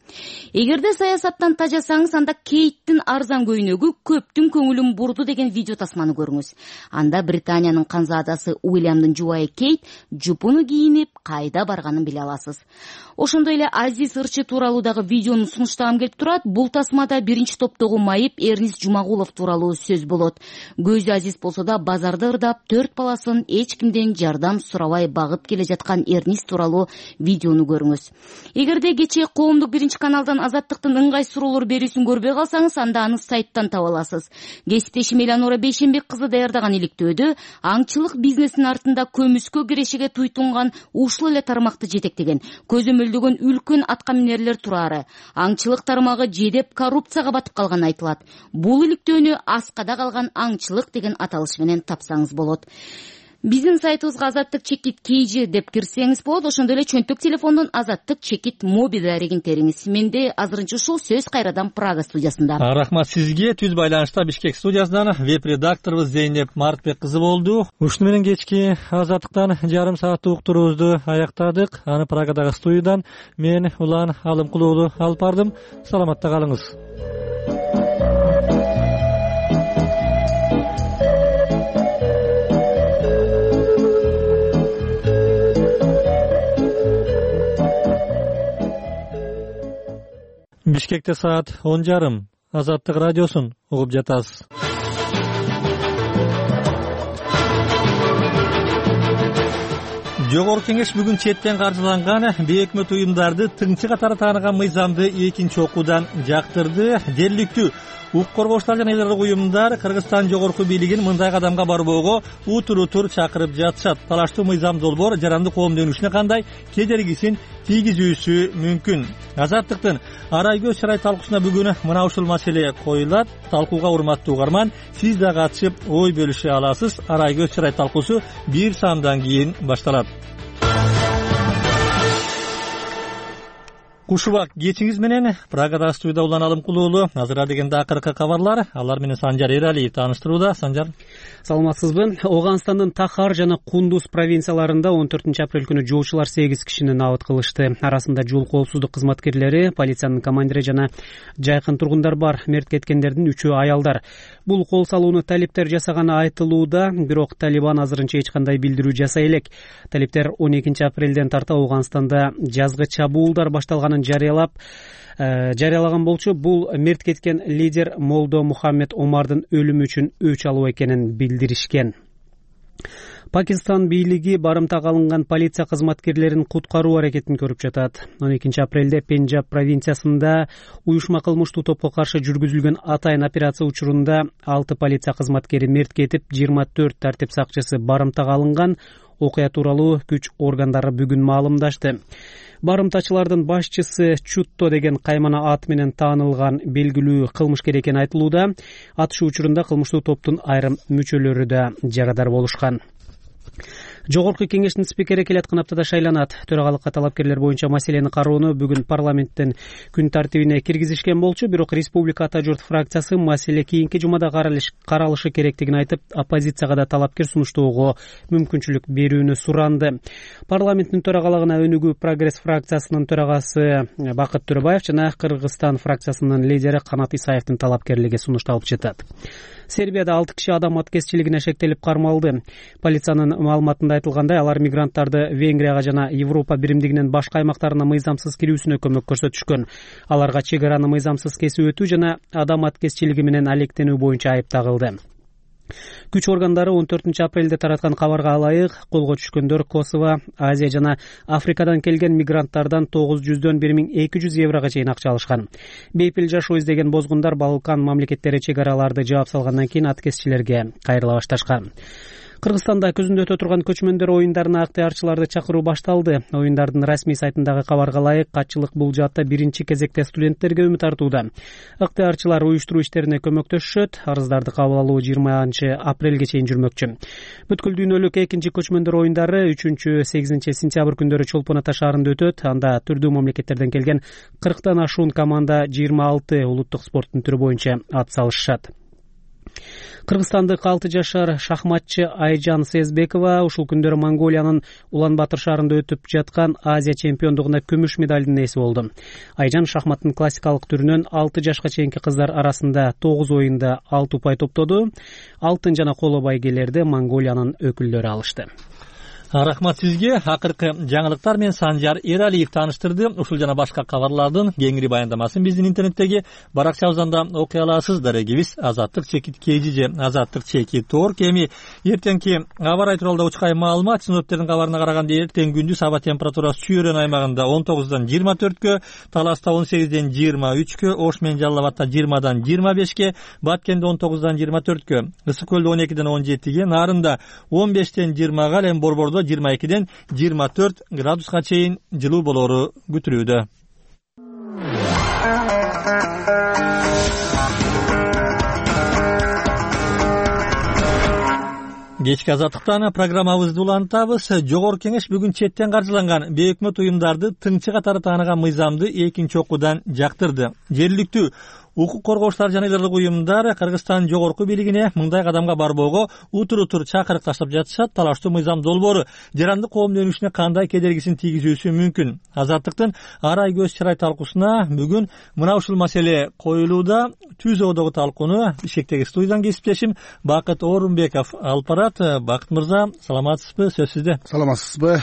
Эгерде саясаттан тажасаңыз, анда Кейттин арзан көйнөгү көптүн көңүлүн бурду деген видео тасманы көрүңүз. Анда Британиянын канзаадасы Уильямдын жубайы Кейт жупуну кийинип кайда барганын биле аласыз. Ошондой эле Азиз Ырчы тууралуу дагы видеону сунуштагым келип турат. Бул тасмада биринчи топтогу майып Эрнист Жумагулов тууралуу сөз болот. Көзү Азиз болсо да базарды ырдап, 4 баласын эч кимден жардам сурабай багып келе жаткан Эрнист тууралуу видеону видеону көрүңүз. Эгерде кечээ коомдук биринчи каналдан Азаттыктын ыңгай суроолор берүүсүн көрбөй калсаңыз, анда аны сайттан таба аласыз. Кесиптешим Эланора Бейшенбек кызы даярдаган иликтөөдө аңчылык бизнесинин артында көмүскө кирешеге туйтунган ушул эле тармакты жетектеген, көзөмөлдөгөн үлкөн аткаминерлер турары. Аңчылык тармагы жедеп коррупцияга батып калганы айтылат. Бул иликтөөнү аскада калган аңчылык деген аталыш менен тапсаңыз болот. Биздин сайтыбызга азаттык чекит KG деп кирсеңиз болот. Ошондой эле чөнтөк телефондон азаттык чекит моби дарегин териңиз. Менде азырынча ушул, сөз кайрадан Прага студиясында. Рахмат сизге. Түз байланышта Бишкек студиясынан веб-редакторубуз Зейнеп Мартбек кызы болду. Ушуну менен кечки азаттыктан жарым сааттык уктуруубузду аяктадык. Аны Прагадагы студиядан мен Улан Алымкул уулу алып бардым. Саламатта калыңыз. Бишкекте саат 10:30. Азаттык радиосун угуп жатасыз. Жогорку кеңеш бүгүн четтен каржыланган бейөкмөт уюмдарды тыңчы катары тааныган мыйзамды экинчи окуудан жактырды. Жергиликтүү укук коргоочулар жана эл аралык уюмдар Кыргызстан жогорку бийлигин мындай кадамга барбоого утур чакырып жатышат. Талаштуу мыйзам долбоор жарандык коом дөнүшүнө кандай кедергисин тийгизүүсү мүмкүн. Азаттыктын арай көз чырай талкуусуна бүгүн мына ушул маселе коюлат. Талкууга урматтуу угарман, сиз да катышып ой бөлүшө аласыз. Арай көз чырай талкуусу бир саамдан кийин башталат. Куш убак кечиңиз менен Прагада студияда Улан Алымкул уулу. Азыр дегенде акыркы кабарлар, алар менен Санжар Эралиев тааныштырууда. Санжар. Саламатсызбы? Ооганстандын Тахар жана Кундуз провинцияларында 14-апрель күнү жоочулар 8 кишини набыт кылышты. Арасында жол коопсуздук кызматкерлери, полициянын командири жана жайкын тургундар бар. Мерт кеткендердин 3-өө аялдар. Бул кол салууну талиптер жасаганы айтылууда, бирок Талибан азырынча эч кандай билдирүү жасай элек. Талиптер 12-апрелден тарта Ооганстанда жазгы чабуулдар башталганын жарыялаган болчу. Бул мерт кеткен лидер Молдо Мухаммед Омардын өлүмү үчүн өч алуу экенин билдиришкен. Пакистан бийлиги барымтага алынган полиция кызматкерлерин куткаруу аракетин көрүп жатат. 12-апрелде Пенджаб провинциясында уюшма кылмыштуу топко каршы жүргүзүлгөн атайын операция учурунда 6 полиция кызматкери мерт кетип, 24 тартип сакчысы барымтага алынган. Окуя тууралуу күч органдары бүгүн маалымдашты. Барымтачылардын башчысы Чутто деген каймана ат менен таанылган белгилүү кылмышкер экени айтылууда. Атышуу учурунда кылмыштуу топтун айрым мүчөлөрү да жарадар болушкан. Жогорку кеңештин спикери келаткан аптада шайланат. Төрагалыкка талапкерлер боюнча маселени кароону бүгүн парламенттин күн тартибине киргизишкен болчу, бирок Республика Ата журт фракциясы маселе кийинки жумада каралышы керектигин айтып, оппозицияга да талапкер сунуштоого мүмкүнчүлүк берүүнү суранды. Парламенттин төрагалыгына өнүгүү Прогресс фракциясынын төрагасы Бакыт Төрөбаев жана Кыргызстан фракциясынын лидери Канат Исаевдин талапкерлиги сунушталып жатат. Сербияда 6 киши адам аткезчилигине шектелип кармалды. Полициянын маалыматында айтылгандай, алар мигранттарды Венгрияга жана Европа биримдигинин башка аймактарына мыйзамсыз кирүүсүнө көмөк көрсөтүшкөн. Аларга чек араны мыйзамсыз кесип өтүү жана адам аткезчилиги менен алектенүү боюнча айып тагылды. Күч органдары 14-апрелде тараткан кабарга ылайык колго түшкөндөр Косово, Азия жана Африкадан келген мигранттардан 900дөн 1200 еврого чейин акча алышкан. Бейпил жашоо издеген бозгундар Балкан мамлекеттери чек араларды жаап салгандан кийин аткезчилерге кайрыла башташкан. Кыргызстанда көзүндө өтө турган көчмөндөр оюндарына ыктыярчыларды чакыруу башталды. Оюндардын расмий сайтындагы кабарга ылайык, катчылык бул жаатта биринчи кезекте студенттерге үмүт артууда. Ыктыярчылар уюштуруу иштерине көмөктөшүшөт. Арыздарды кабыл алуу 20-апрелге чейин жүрмөкчү. Бүткүл дүйнөлүк экинчи көчмөндөр оюндары 3-8 сентябрь күндөрү Чолпон Ата шаарында өтөт. Анда түрдүү мамлекеттерден келген 40тан ашуун команда 26 улуттук спорттун түрү боюнча ат салышышат. Кыргызстандык 6 жашар шахматчы Айжан Сезбекова ушул күндөрү Монголиянын Улан-Батыр шаарында өтүп жаткан Азия чемпиондугунда күмүш медалдын ээси болду. Айжан шахматтын классикалык түрүнөн 6 жашка чейинки кыздар арасында 9 оюнда 6 упай топтоду. Алтын жана коло байгелерди Монголиянын өкүлдөрү алышты. Рахмат сизге. Акыркы жаңылыктар менен Санжар Эралиев тааныштырды. Ушул жана башка кабарлардын кеңири баяндамасын биздин интернеттеги баракчабыздан окуй аласыз. Дарегибиз Азаттык чекит kg же Азаттык чекит org. Эми эртеңки аба ырайы тууралуу учкай маалымат. Синоптиктердин кабарына караганда эртең күндүз аба температурасы Чүйрөн аймагында 19дан 24кө, Таласта 18ден 23кө, Ош менен Жалал Абадта 20дан 25ке, Баткенде 19дан 24кө, Ысык көлдө 12ден 17ге, Нарында 15ден 20га, ал эми Борбордо 22ден 24 градуска чейин жылуу болору күтүлүүдө. Кечки азаттыктан программабызды улантабыз. Жогорку кеңеш бүгүн четтен каржыланган бейөкмөт уюмдарды тыңчы катары тааныган мыйзамды экинчи окуудан жактырды. Жергиликтүү укук коргоочулар жана ыдарлык уюмдар Кыргызстан жогорку бийлигине мындай кадамга барбоого утур чакырык таштап жатышат. Талаштуу мыйзам долбоору жарандык коомдун өнүгүшүнө кандай кедергисин тийгизүүсү мүмкүн? Азаттыктын арай көз чырай талкуусуна бүгүн мына ушул маселе коюлууда. Түз оодогу талкууну Бишкектеги студиядан кесиптешим Бакыт Орунбеков алып барат. Бакыт мырза, саламатсызбы? Сөз сизде. Саламатсызбы?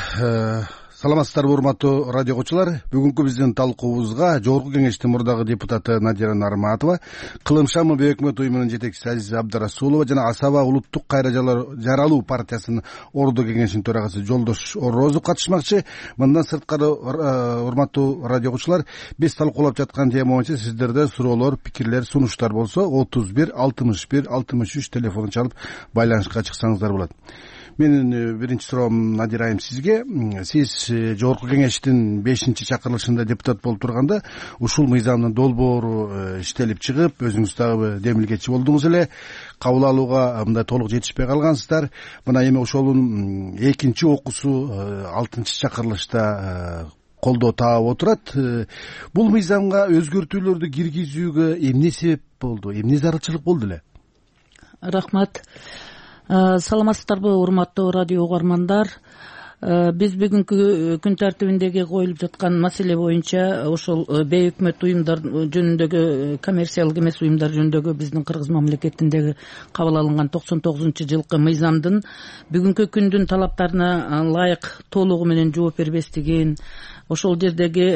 Саламатсыздарбы, урматтуу радио окуучулар. Бүгүнкү биздин талкуубузга Жогорку кеңештин мурдагы депутаты Надира Нарматова, Кылым Шамы бейөкмөт уюмунун жетекчиси Азиза Абдрасулова жана Асаба улуттук кайра жаралуу партиясынын ордо кеңешинин төрагасы Жолдош Орозов катышмакчы. Мындан сырткары, урматтуу радио окуучулар, биз талкуулап жаткан тема боюнча сиздерде суроолор, пикирлер, сунуштар болсо 31 61 63 телефонун чалып байланышка чыксаңыздар болот. Менин биринчи суроом Надира айым сизге. Сиз Жогорку кеңештин 5-чакырылышында депутат болуп турганда ушул мыйзамдын долбоору иштелип чыгып, өзүңүз дагы демилгечи болдуңуз эле. Кабыл алууга мындай толук жетишпей калгансыздар. Мына эми ошонун экинчи окуусу 6-чакырылышта колдоо таап отурат. Бул мыйзамга өзгөртүүлөрдү киргизүүгө эмне себеп болду? Эмне зарылчылык болду эле? Рахмат. Саламатсыздарбы, урматтуу радио угармандар. Биз бүгүнкү күн тартибиндеги коюлуп жаткан маселе боюнча ошол бейөкмөт уюмдар жөнүндөгү, коммерциялык эмес уюмдар жөнүндөгү биздин Кыргыз мамлекетиндеги кабыл алынган 99-жылкы мыйзамдын бүгүнкү күндүн талаптарына ылайык толугу менен жооп бербестигин, ошол жердеги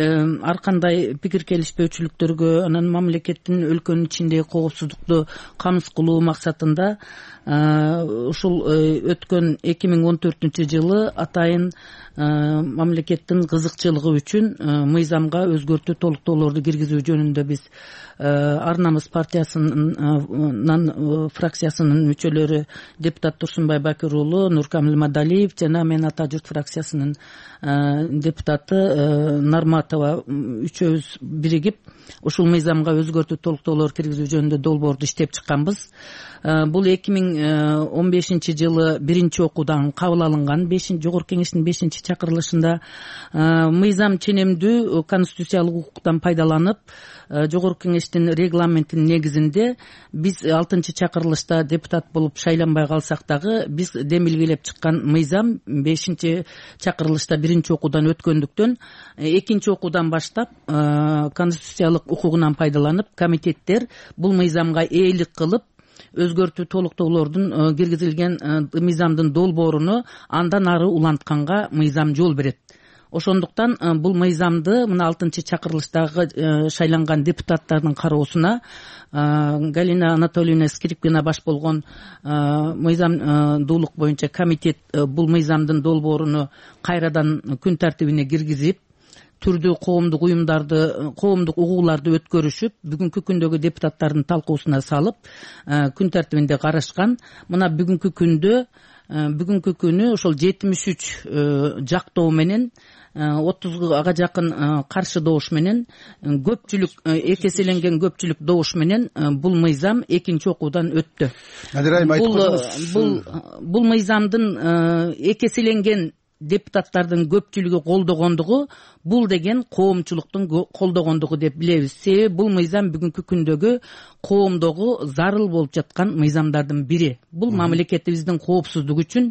ар кандай пикир келишпөөчүлүктөргө, анан мамлекеттин өлкөнүн ичиндеги коопсуздукту камсыз кылуу максатында ушул өткөн 2014-жылы атайын мамлекеттин кызыкчылыгы үчүн мыйзамга өзгөртүү толуктоолорду киргизүү жөнүндө биз Ар намыс партиясынын фракциясынын мүчөлөрү депутат Турсунбай Бакир уулу, Нуркамил Мадалиев жана мен Ата журт фракциясынын депутаты Нарматова үчөөбүз биригип ушул мыйзамга өзгөртүү толуктоолор киргизүү жөнүндө долбоорду иштеп чыкканбыз. Бул 2015-жылы биринчи окуудан кабыл алынган Жогорку кеңештин 5-чакырылышында мыйзам ченемдүү конституциялык укуктан пайдаланып Жогорку кеңештин регламентинин негизинде биз 6-чакырылышта депутат болуп шайланбай калсак дагы биз демилгелеп чыккан мыйзам 5-чакырылышта биринчи окуудан өткөндүктөн 2-окуудан баштап конституциялык укугунан пайдаланып комитеттер бул мыйзамга ээлик кылып өзгөртүү толуктоолордун киргизилген мыйзамдын долбооруну андан ары улантканга мыйзам жол берет. Ошондуктан бул мыйзамды мына 6-чакырылыштагы шайланган депутаттардын кароосуна Галина Анатольевна Скрипкина баш болгон мыйзамдуулук боюнча комитет бул мыйзамдын долбооруну кайрадан күн тартибине киргизип, түрдүү коомдук уюмдарды, коомдук угууларды өткөрүшүп, бүгүнкү күндөгү депутаттардын талкуусуна салып, күн тартибинде карашкан. Мына бүгүнкү күнү ошол 73 жактоо менен 30га жакын каршы добуш менен көпчүлүк, эки эселенген көпчүлүк добуш менен бул мыйзам 2-окуудан өттү. Бул мыйзамдын эки эселенген депутаттардын көпчүлүгү колдогондугу бул деген коомчулуктун колдогондугу деп билебиз. Себеби бул мыйзам бүгүнкү күндөгү коомдогу зарыл болуп жаткан мыйзамдардын бири. Бул мамлекетибиздин коопсуздугу үчүн,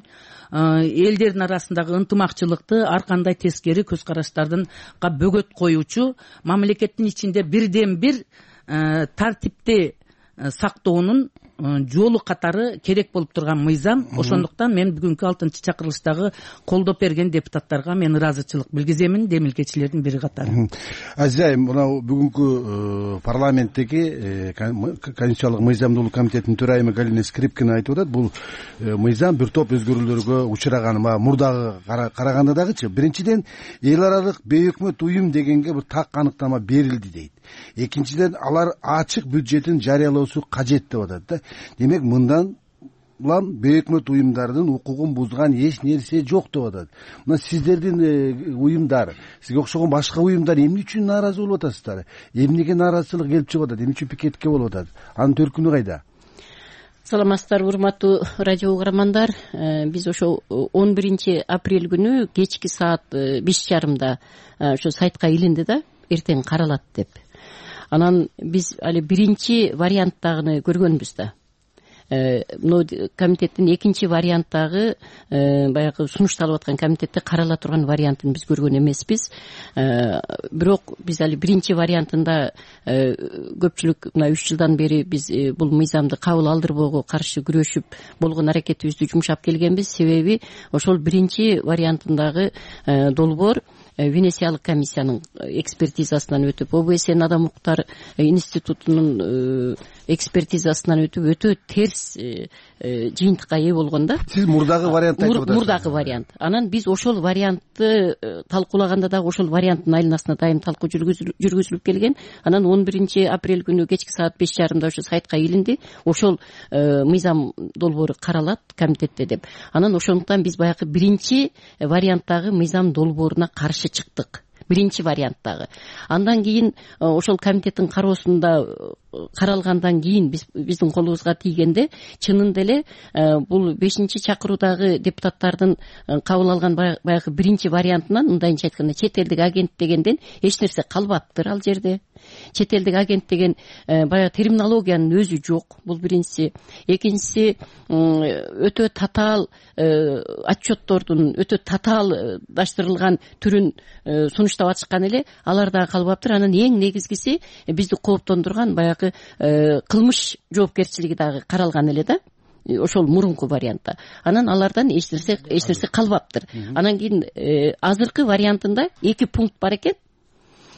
элдердин арасындагы ынтымакчылыкты ар кандай тескери көз караштардын бөгөт коюучу, мамлекеттин ичинде бирден бир тартипти сактоонун жолу катары керек болуп турган мыйзам. Ошондуктан мен бүгүнкү 6-чы чакырылыштагы колдоп берген депутаттарга мен ыраазычылык билгиземин, демилгечилердин бири катары. Азиз айым, мына бүгүнкү парламенттеги Конституциялык мыйзамдуулук комитетинин төрайымы Галина Скрипкина айтып атат, бул мыйзам бир топ өзгөрүүлөргө учураган. Мурдагы караганда дагычы, биринчиден эл аралык бейөкмөт уюм дегенге бир так аныктама берилди дейт. Экинчиден алар ачык бюджетин жарыялоосу кажет деп атат да. Демек мындан улам бейөкмөт уюмдардын укугун бузган эч нерсе жок деп атат. Мына сиздердин уюмдар, сизге окшогон башка уюмдар эмне үчүн нааразы болуп атасыздар? Эмнеге нааразычылык келип чыгып атат? Эмне үчүн пикетке болуп атат? Анын төркүнү кайда? Саламатсыздарбы, урматтуу радио угармандар. Биз ошо 11 апрель күнү кечки саат 5:30 ошо сайтка илинди да, эртең каралат деп. Анан биз али биринчи варианттагыны көргөнбүз да. Комитеттин экинчи варианттагы баягы сунушталып аткан комитетте карала турган вариантын биз көргөн эмеспиз. Бирок биз али биринчи вариантында көпчүлүк мына 3 жылдан бери биз бул мыйзамды кабыл алдырбоого каршы күрөшүп болгон аракетибизди жумшап келгенбиз. Себеби ошол биринчи вариантындагы долбоор Венециялык комиссиянын экспертизасынан өтүп, ОБСЕ адам укуктар институтунун экспертизасынан өтүп, өтө терс жыйынтыкка ээ болгон да. Сиз мурдагы вариантты айтып атасыз. Мурдагы вариант. Анан биз ошол вариантты талкуулаганда дагы ошол варианттын айланасына дайым талкуу жүргүзүлүп келген. Анан 11 апрель күнү кечки саат 5:30 ошо сайтка илинди. Ошол мыйзам долбоору каралат комитетте деп. Анан ошондуктан биз баягы биринчи варианттагы мыйзам долбооруна каршы чыктык. Биринчи варианттагы. Андан кийин ошол комитеттин кароосунда каралгандан кийин биздин колубузга тийгенде чынында эле бул 5-чакыруудагы депутаттардын кабыл алган баягы биринчи вариантынан, мындайынча айтканда, чет элдик агент дегенден эч нерсе калбаптыр ал жерде. Чет элдик агент деген баягы терминологиянын өзү жок. Бул биринчиси. Экинчиси, өтө татаал отчеттордун өтө татаалдаштырылган түрүн сунуштап атышкан эле, алар дагы калбаптыр. Анан эң негизгиси бизди кооптондурган баягы кылмыш жоопкерчилиги дагы каралган эле да. Ошол мурунку вариантта. Анан алардан эч нерсе калбаптыр. Анан кийин азыркы вариантында 2 пункт бар экен.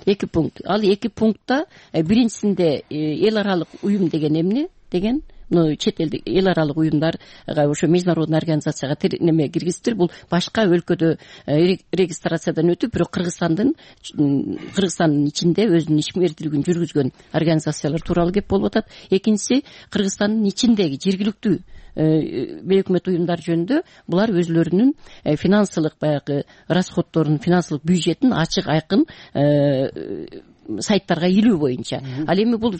2 пункт. Ал 2 пунктта биринчисинде эл аралык уюм деген эмне деген, чет элдик эл аралык уюмдарга ошо международный организацияга неме киргизиптир. Бул башка өлкөдө регистрациядан өтүп, бирок Кыргызстандын ичинде өзүнүн ишмердүүлүгүн жүргүзгөн организациялар тууралуу кеп болуп атат. Экинчиси, Кыргызстандын ичиндеги жергиликтүү бейөкмөт уюмдар жөнүндө булар өзлөрүнүн финансылык баягы расходдорун, финансылык бюджетин ачык айкын сайттарга илүү боюнча. Ал эми бул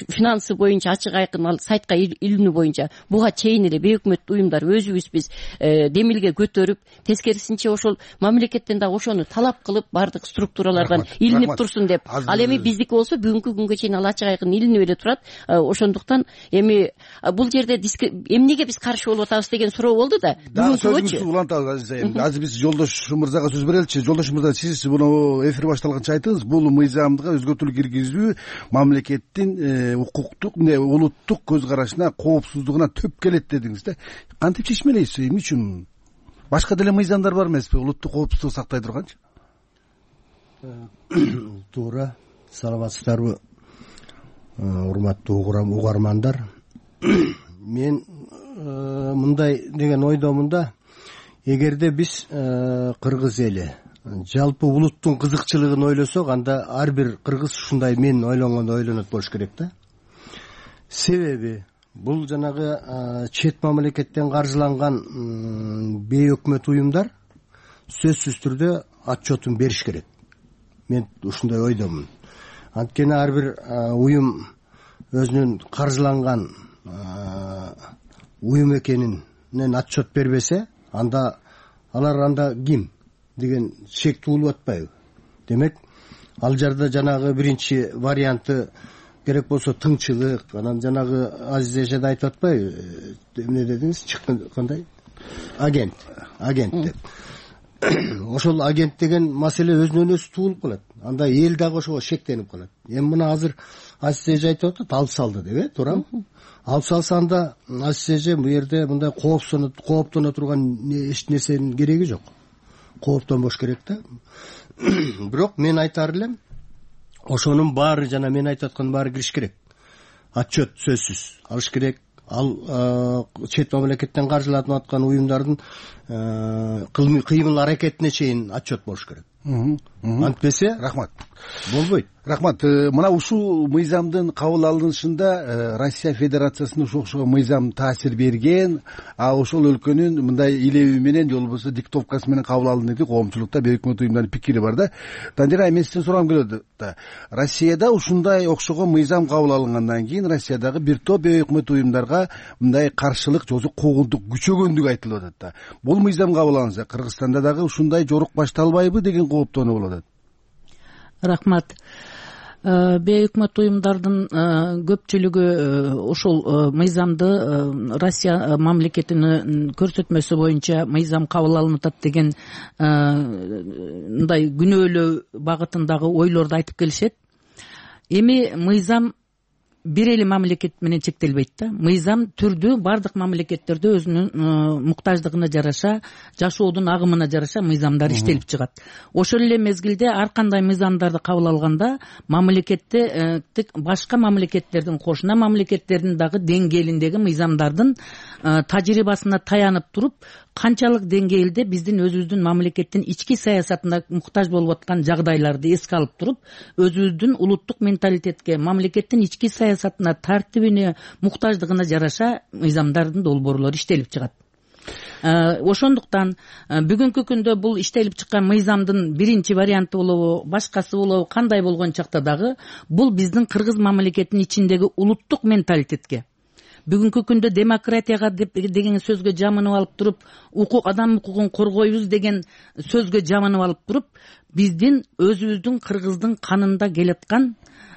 финансы боюнча ачык айкын ал сайтка илүүнү боюнча буга чейин эле бейөкмөт уюмдар өзүбүз биз демилге көтөрүп, тескерисинче ошол мамлекеттен да ошону талап кылып бардык структуралардан илинип турсун деп. Ал эми биздики болсо бүгүнкү күнгө чейин ал ачык айкын илинип эле турат. Ошондуктан эми бул жерде эмнеге биз каршы болуп атабыз деген суроо болду да. Сөзүңүздү улантабыз Азиз айым. Азыр биз Жолдош мырзага сөз береличи. Жолдош мырза, сиз муну эфир башталганча айтыңыз, бул мыйзамга өзгөртүүлүк киргизүү мамлекеттин укуктук, улуттук көз карашына, коопсуздугуна төп келет дедиңиз да. Кантип чечмелейсиз? Эмне үчүн? Башка деле мыйзамдар бар эмеспи, улуттук коопсуздук сактай турганчы? Туура. Саламатсыздарбы, урматтуу угармандар. Мен мындай деген ойдомун да, эгерде биз кыргыз эли жалпы улуттун кызыкчылыгын ойлосок, анда ар бир кыргыз ушундай мен ойлонгондой ойлонот болуш керек да. Себеби бул жанагы чет мамлекеттен каржыланган бейөкмөт уюмдар сөзсүз түрдө отчетун бериш керек. Мен ушундай ойдомун. Анткени ар бир уюм өзүнүн каржыланган уюм экенинен отчет бербесе, алар анда ким деген шек туулуп атпайбы? Демек, ал жерде жанагы биринчи варианты керек болсо тыңчылык, анан жанагы Азиз эжеде айтып атпайбы? Эмне дедиңиз? Кандай? Агент деп. ошол агент деген маселе өзүнөн өзү туулуп калат. Анда эл дагы ошого шектенип калат. Эми мына азыр Азиз эже айтып атат, алып салды деп, туурабы? Алып салса анда Азиз эже бу жерде мындай кооптоно турган эч нерсенин кереги жок. Кооптонбош керек да. Бирок мен айтар элем, ошонун баары жана мен айтып аткандын баары кириш керек. Отчет сөзсүз алыш керек. Ал чет мамлекеттен каржыланып аткан уюмдардын кыймыл аракетине чейин отчет болуш керек. Антпесе рахмат болбойт. Рахмат. Мына ушул мыйзамдын кабыл алынышында Россия Федерациясына ошого мыйзам таасир берген, а ошол өлкөнүн мындай илеби менен же болбосо диктовкасы менен кабыл алынды деп коомчулукта бейөкмөт уюмдардын пикири бар да. Тандира, мен сизден сурагым келет да. Россияда ушундай окшогон мыйзам кабыл алынгандан кийин Россиядагы бир топ бейөкмөт уюмдарга мындай каршылык же куугунтук күчөгөндүгү айтылып атат да. Бул мыйзам кабыл алынса, Кыргызстанда дагы ушундай жорук башталбайбы деген кооптонуу болуп атат. Рахмат. Бейөкмөт уюмдардын көпчүлүгү ушул мыйзамды Россия мамлекетинин көрсөтмөсү боюнча мыйзам кабыл алынып атат деген мындай күнөөлөө багытындагы ойлорду айтып келишет. Эми мыйзам бир эле мамлекет менен чектелбейт да. Мыйзам түрдүү бардык мамлекеттерде өзүнүн муктаждыгына жараша, жашоодун агымына жараша мыйзамдар иштелип чыгат. Ошол эле мезгилде ар кандай мыйзамдарды кабыл алганда мамлекетте башка мамлекеттердин, кошуна мамлекеттердин дагы деңгээлиндеги мыйзамдардын тажрыйбасына таянып туруп, канчалык деңгээлде биздин өзүбүздүн мамлекеттин ички саясатына муктаж болуп аткан жагдайларды эске алып туруп, өзүбүздүн улуттук менталитетке, мамлекеттин ички саясатына, тартибине, муктаждыгына жараша мыйзамдардын долбоорлору иштелип чыгат. Ошондуктан бүгүнкү күндө бул иштелип чыккан мыйзамдын биринчи варианты болобу, башкасы болобу, кандай болгон чакта дагы бул биздин Кыргыз мамлекетинин ичиндеги улуттук менталитетке, бүгүнкү күндө демократияга деген сөзгө жамынып алып туруп, адам укугун коргойбуз деген сөзгө жамынып алып туруп, биздин өзүбүздүн Кыргыздын канында келаткан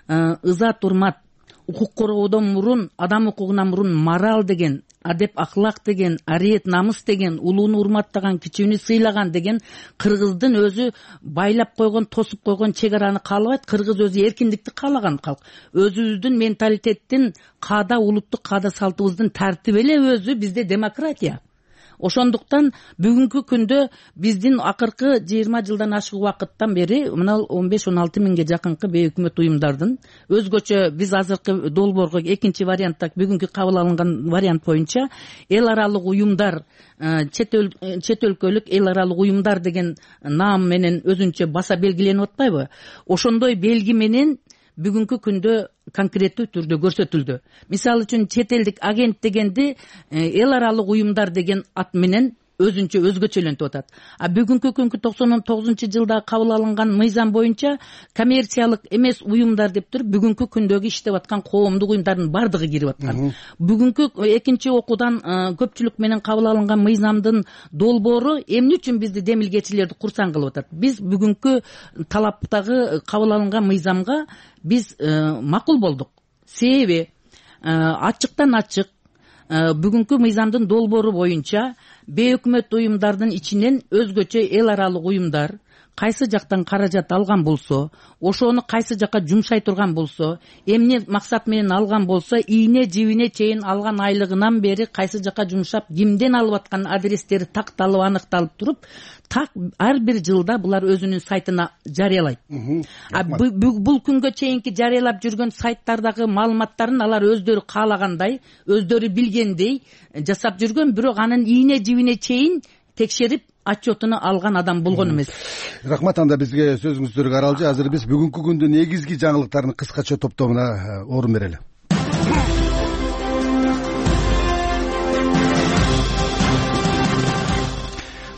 ызат урмат, укук коргоодон мурун, адам укугунан мурун мораль деген, адеп ахлак деген, ариет намыс деген, улууну урматтаган, кичүүнү сыйлаган деген Кыргыздын өзү байлап койгон, тосуп койгон чек араны каалабайт. Кыргыз өзү эркиндикти каалаган калк. Өзүбүздүн менталитеттин, каада, улуттук каада салтыбыздын тартиби эле өзү бизде демократия. Ошондуктан бүгүнкү күндө биздин акыркы 20 жылдан ашык убакыттан бери мына 15-16 миңге жакынкы бейөкмөт уюмдардын өзгөчө биз азыркы долбоорго экинчи вариантта бүгүнкү кабыл алынган вариант боюнча эл аралык уюмдар, чет өлкөлүк эл аралык уюмдар деген наам менен өзүнчө баса белгиленип атпайбы? Ошондой белги менен бүгүнкү күндө конкреттүү түрдө көрсөтүлдү. Мисалы үчүн чет элдик агент дегенди эл аралык уюмдар деген ат менен өзүнчө өзгөчөлөнтүп атат. А бүгүнкү күnkү 99-жылда кабыл алынган мыйзам боюнча коммерциялык эмес уюмдар деп туруп бүгүнкү күндөгү иштеп аткан коомдук уюмдардын бардыгы кирип аткан. Бүгүнкү экинчи окуудан көпчүлүк менен кабыл алынган мыйзамдын долбоору эмне үчүн бизди демилгечилерди курсаң кылып атат? Биз бүгүнкү талаптагы кабыл алынган мыйзамга биз макул болдук. Себеби ачыктан ачык бүгүнкү мыйзамдын долбоору боюнча бейөкмөт уюмдардын ичинен өзгөчө эл аралык уюмдар кайсы жактан каражат алган болсо, ошону кайсы жакка жумшай турган болсо, эмне максат менен алган болсо, ийне жибине чейин алган айлыгынан бери кайсы жакка жумшап, кимден алып аткан адрестери такталып, аныкталып туруп, так ар бир жылда булар өзүнүн сайтына жарыялайт. Бул күнгө чейинки жарыялап жүргөн сайттардагы маалыматтарын алар өздөрү каалагандай, өздөрү билгендей жасап жүргөн, бирок анын ийне жибине чейин текшерип отчетуну алган адам болгон эмес. Рахмат, анда бизге сөзүңүздөргө аралжы. Азыр биз бүгүнкү күндүн негизги жаңылыктарын кыскача топтомуна орун берели.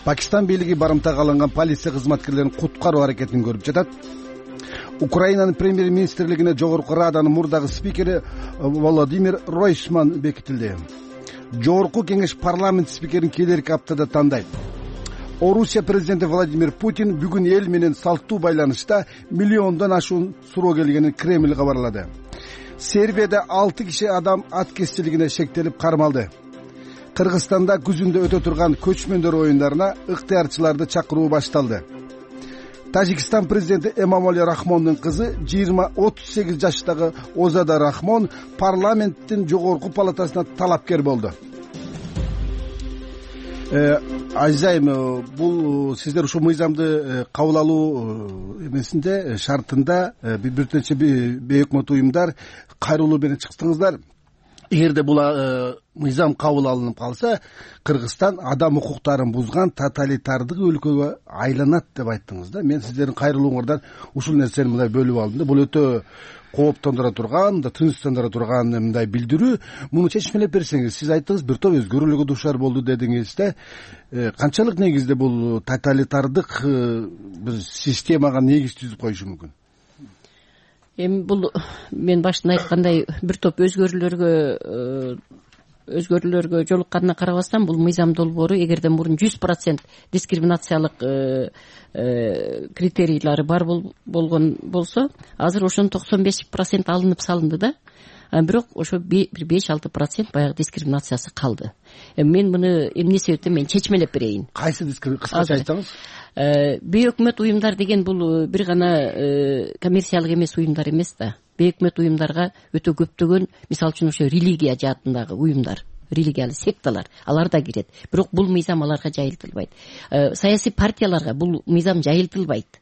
Пакистан бийлиги барымтага алынган полиция кызматкерлерин куткаруу аракетин көрүп жатат. Украинанын премьер-министрлигине жогорку раданын мурдагы спикери Владимир Ройшман бекитилди. Жогорку кеңеш парламент спикерин келерки аптада тандайт. Орусия президенти Владимир Путин бүгүн эл менен салттуу байланышта миллиондон ашуун суроо келгенин Кремль кабарлады. Сербияда 6 киши адам аткезчилигине шектелип кармалды. Кыргызстанда күзүндө өтө турган көчмөндөр оюндарына ыктыярчыларды чакыруу башталды. Тажикстан президенти Эмомали Рахмондун кызы 38 жаштагы Озада Рахмон парламенттин жогорку палатасына талапкер болду. Азизайым, бул сиздер ушул мыйзамды кабыл алуу эмесинде шартында бир нече бейөкмөт уюмдар кайрылуу менен чыктыңыздар. Эгерде бул мыйзам кабыл алынып калса, Кыргызстан адам укуктарын бузган тоталитардык өлкөгө айланат деп айттыңыз да. Мен сиздердин кайрылууңардан ушул нерсени мындай бөлүп алдым да. Бул өтө кооптондура турган, тынчтандыра турган мындай билдирүү. Муну чечмелеп берсеңиз, сиз айттыңыз бир топ өзгөрүүлөргө дуушар болду дедиңиз да. Канчалык негизде бул тоталитардык бир системага негиз түзүп коюшу мүмкүн? Эми бул мен башында айткандай бир топ өзгөрүүлөргө жолукканына карабастан бул мыйзам долбоору эгерден мурун 100% дискриминациялык критерийлери бар болгон болсо, азыр ошонун 95% алынып салынды да. Бирок ошо бир 5-6% баягы дискриминациясы калды. Мен муну эмне себептен мен чечмелеп берейин. Кайсы кыскача айтсаңыз? Бейөкмөт уюмдар деген бул бир гана коммерциялык эмес уюмдар эмес да. Бейөкмөт уюмдарга өтө көптөгөн, мисалы үчүн ошо религия жаатындагы уюмдар, религиялык секталар, алар да кирет. Бирок бул мыйзам аларга жайылтылбайт. Саясий партияларга бул мыйзам жайылтылбайт.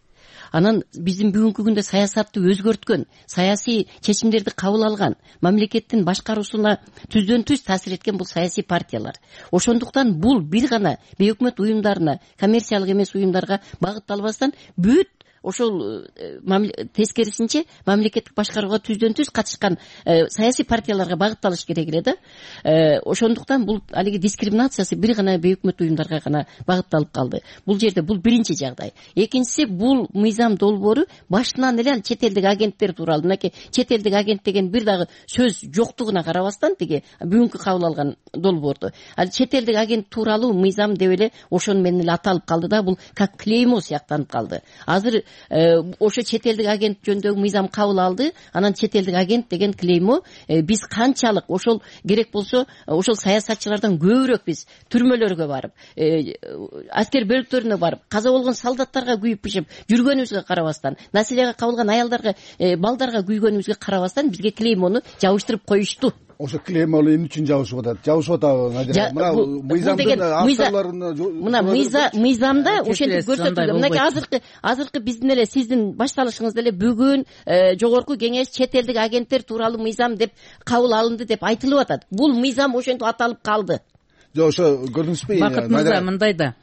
Анан биздин бүгүнкү күндө саясатты өзгөрткөн, саясий чечимдерди кабыл алган, мамлекеттин башкаруусуна түздөн түз таасир эткен бул саясий партиялар. Ошондуктан бул бир гана бейөкмөт уюмдарына, коммерциялык эмес уюмдарга багытталбастан бүт ошол тескерисинче мамлекеттик башкарууга түздөн түз катышкан саясий партияларга багытталыш керек эле да. Ошондуктан бул алиги дискриминациясы бир гана бейөкмөт уюмдарга гана багытталып калды. Бул жерде бул биринчи жагдай. Экинчиси, бул мыйзам долбоору башынан эле чет элдик агенттер тууралуу, мынакей чет элдик агент деген бир дагы сөз жоктугуна карабастан тиги бүгүнкү кабыл алган долбоорду, ал чет элдик агент тууралуу мыйзам деп эле ошону менен эле аталып калды да, бул как клеймо сыяктанып калды. Азыр ошо чет элдик агент жөнүндөгү мыйзам кабыл алды, анан чет элдик агент деген клеймо биз канчалык ошол керек болсо ошол саясатчылардан көбүрөөк биз түрмөлөргө барып, аскер бөлүктөрүнө барып, каза болгон солдаттарга күйүп пишип жүргөнүбүзгө карабастан, населеге кабылган аялдарга, балдарга күйгөнүбүзгө карабастан бизге клеймону жабыштырып коюшту. Ошо клеймону эмне үчүн жабышып атат? Жабышып атабы? Мына мыйзамдын авторлоруна мына мыйзамда ошентип көрсөтүлгөн. Мынакей азыркы биздин эле сиздин башталышыңызда эле бүгүн жогорку кеңеш чет элдик агенттер тууралуу мыйзам деп кабыл алынды деп айтылып атат. Бул мыйзам ошентип аталып калды. Жок, ошо көрдүңүзбү? Бакыт мырза, мындай да.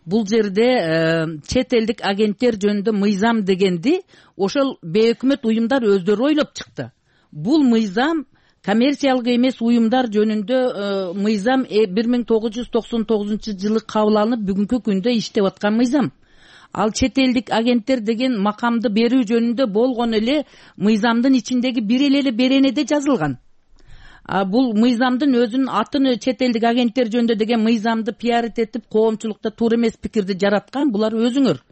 Бул жерде чет элдик агенттер жөнүндө мыйзам дегенди ошол бейөкмөт уюмдар өздөрү ойлоп чыкты. Бул мыйзам коммерциялык эмес уюмдар жөнүндө мыйзам 1999 жылы кабыл алынып бүгүнкү күндө иштеп аткан мыйзам. Ал чет элдик агенттер деген макамды берүү жөнүндө болгон эле мыйзамдын ичиндеги бир эле беренеде жазылган. Бул мыйзамдын өзүнүн атын чет элдик агенттер жөнүндө деген мыйзамды пиарит этип коомчулукта туура эмес пикирди жараткан булар өзүңөр.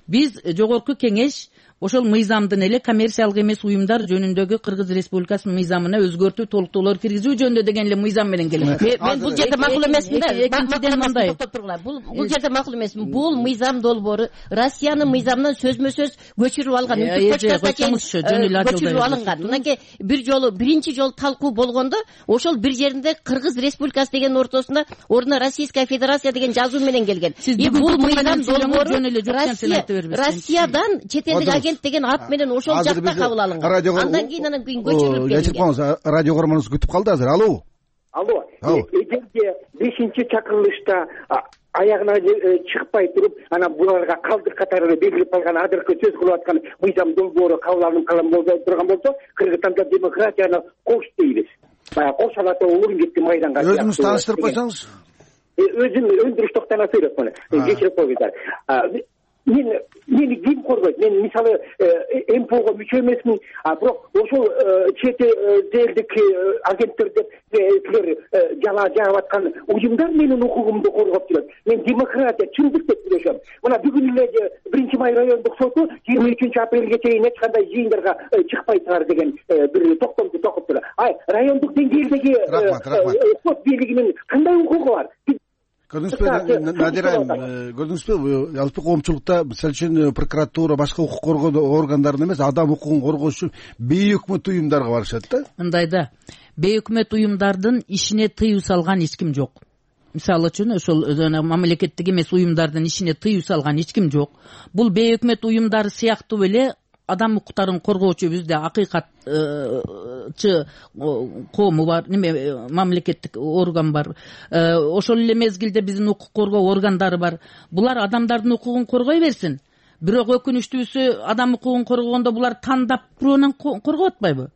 Биз жогорку кеңеш ошол мыйзамдын эле коммерциялык эмес уюмдар жөнүндөгү Кыргыз Республикасынын мыйзамына өзгөртүү, толуктоолор киргизүү жөнүндө деген эле мыйзам менен келет. Мен бул жерде макул эмесмин да. Экинчиден мындай. Бул жерде макул эмесмин. Бул мыйзам долбоору Россиянын мыйзамынан сөзмө-сөз көчүрүп алган. Көчүрүп алынган. Мынакей биринчи жолу талкуу болгондо ошол бир жеринде Кыргыз Республикасы деген ортосунда ордуна Российская Федерация деген жазуу менен келген. Бул мыйзам долбоору Россиядан чет элдик агент деген ат менен ошол жакта кабыл алынган. Андан кийин көчүрүлүп келген. Радио көрмөнүз күтүп калды азыр. Алло. Эгерде 5-чакырылышта аягына чыкпай туруп, анан буларга калдык катары белгилеп калган азыркы сөз кылып аткан мыйзам долбоору кабыл алынып калган турган болсо, Кыргызстанда демократияны кош дейбиз. Баягы кош алаты улуун кетти майданга. Өзүңүз тааныштырып койсоңуз. Өзүм өндүрүш токтона сүйлөп койгон. Кечирип койгуңуздар. мени ким коргойт? Мен мисалы МПОго мүчө эмесмин, бирок ошол чет элдик агенттер деп силер жала жагып аткан уюмдар менин укугумду коргоп жүрөт. Мен демократия, чындык деп сүйлөшөм. Мына бүгүн эле 1-Май райондук соту 23-апрелге чейин эч кандай жыйындарга чыкпайсыңар деген бир токтомду токуптур. Райондук деңгээлдеги сот бийлигинин кандай укугу бар? Көрдүңүзбү, Надира айым, көрдүңүзбү, жалпы коомчулукта мисалы үчүн прокуратура, башка укук коргоо органдарына эмес, адам укугун коргош үчүн бейөкмөт уюмдарга барышат да. Мындай да, бейөкмөт уюмдардын ишине тыюу салган эч ким жок. Мисалы үчүн ошол мамлекеттик эмес уюмдардын ишине тыюу салган эч ким жок. Бул бейөкмөт уюмдар сыяктуу эле адам укуктарын коргоочу бизде акыйкатчы коому бар, мамлекеттик орган бар. Ошол эле мезгилде биздин укук коргоо органдары бар. Булар адамдардын укугун коргой берсин. Бирок өкүнүчтүүсү, адам укугун коргогондо булар тандап бирөөнөн коргоп атпайбы?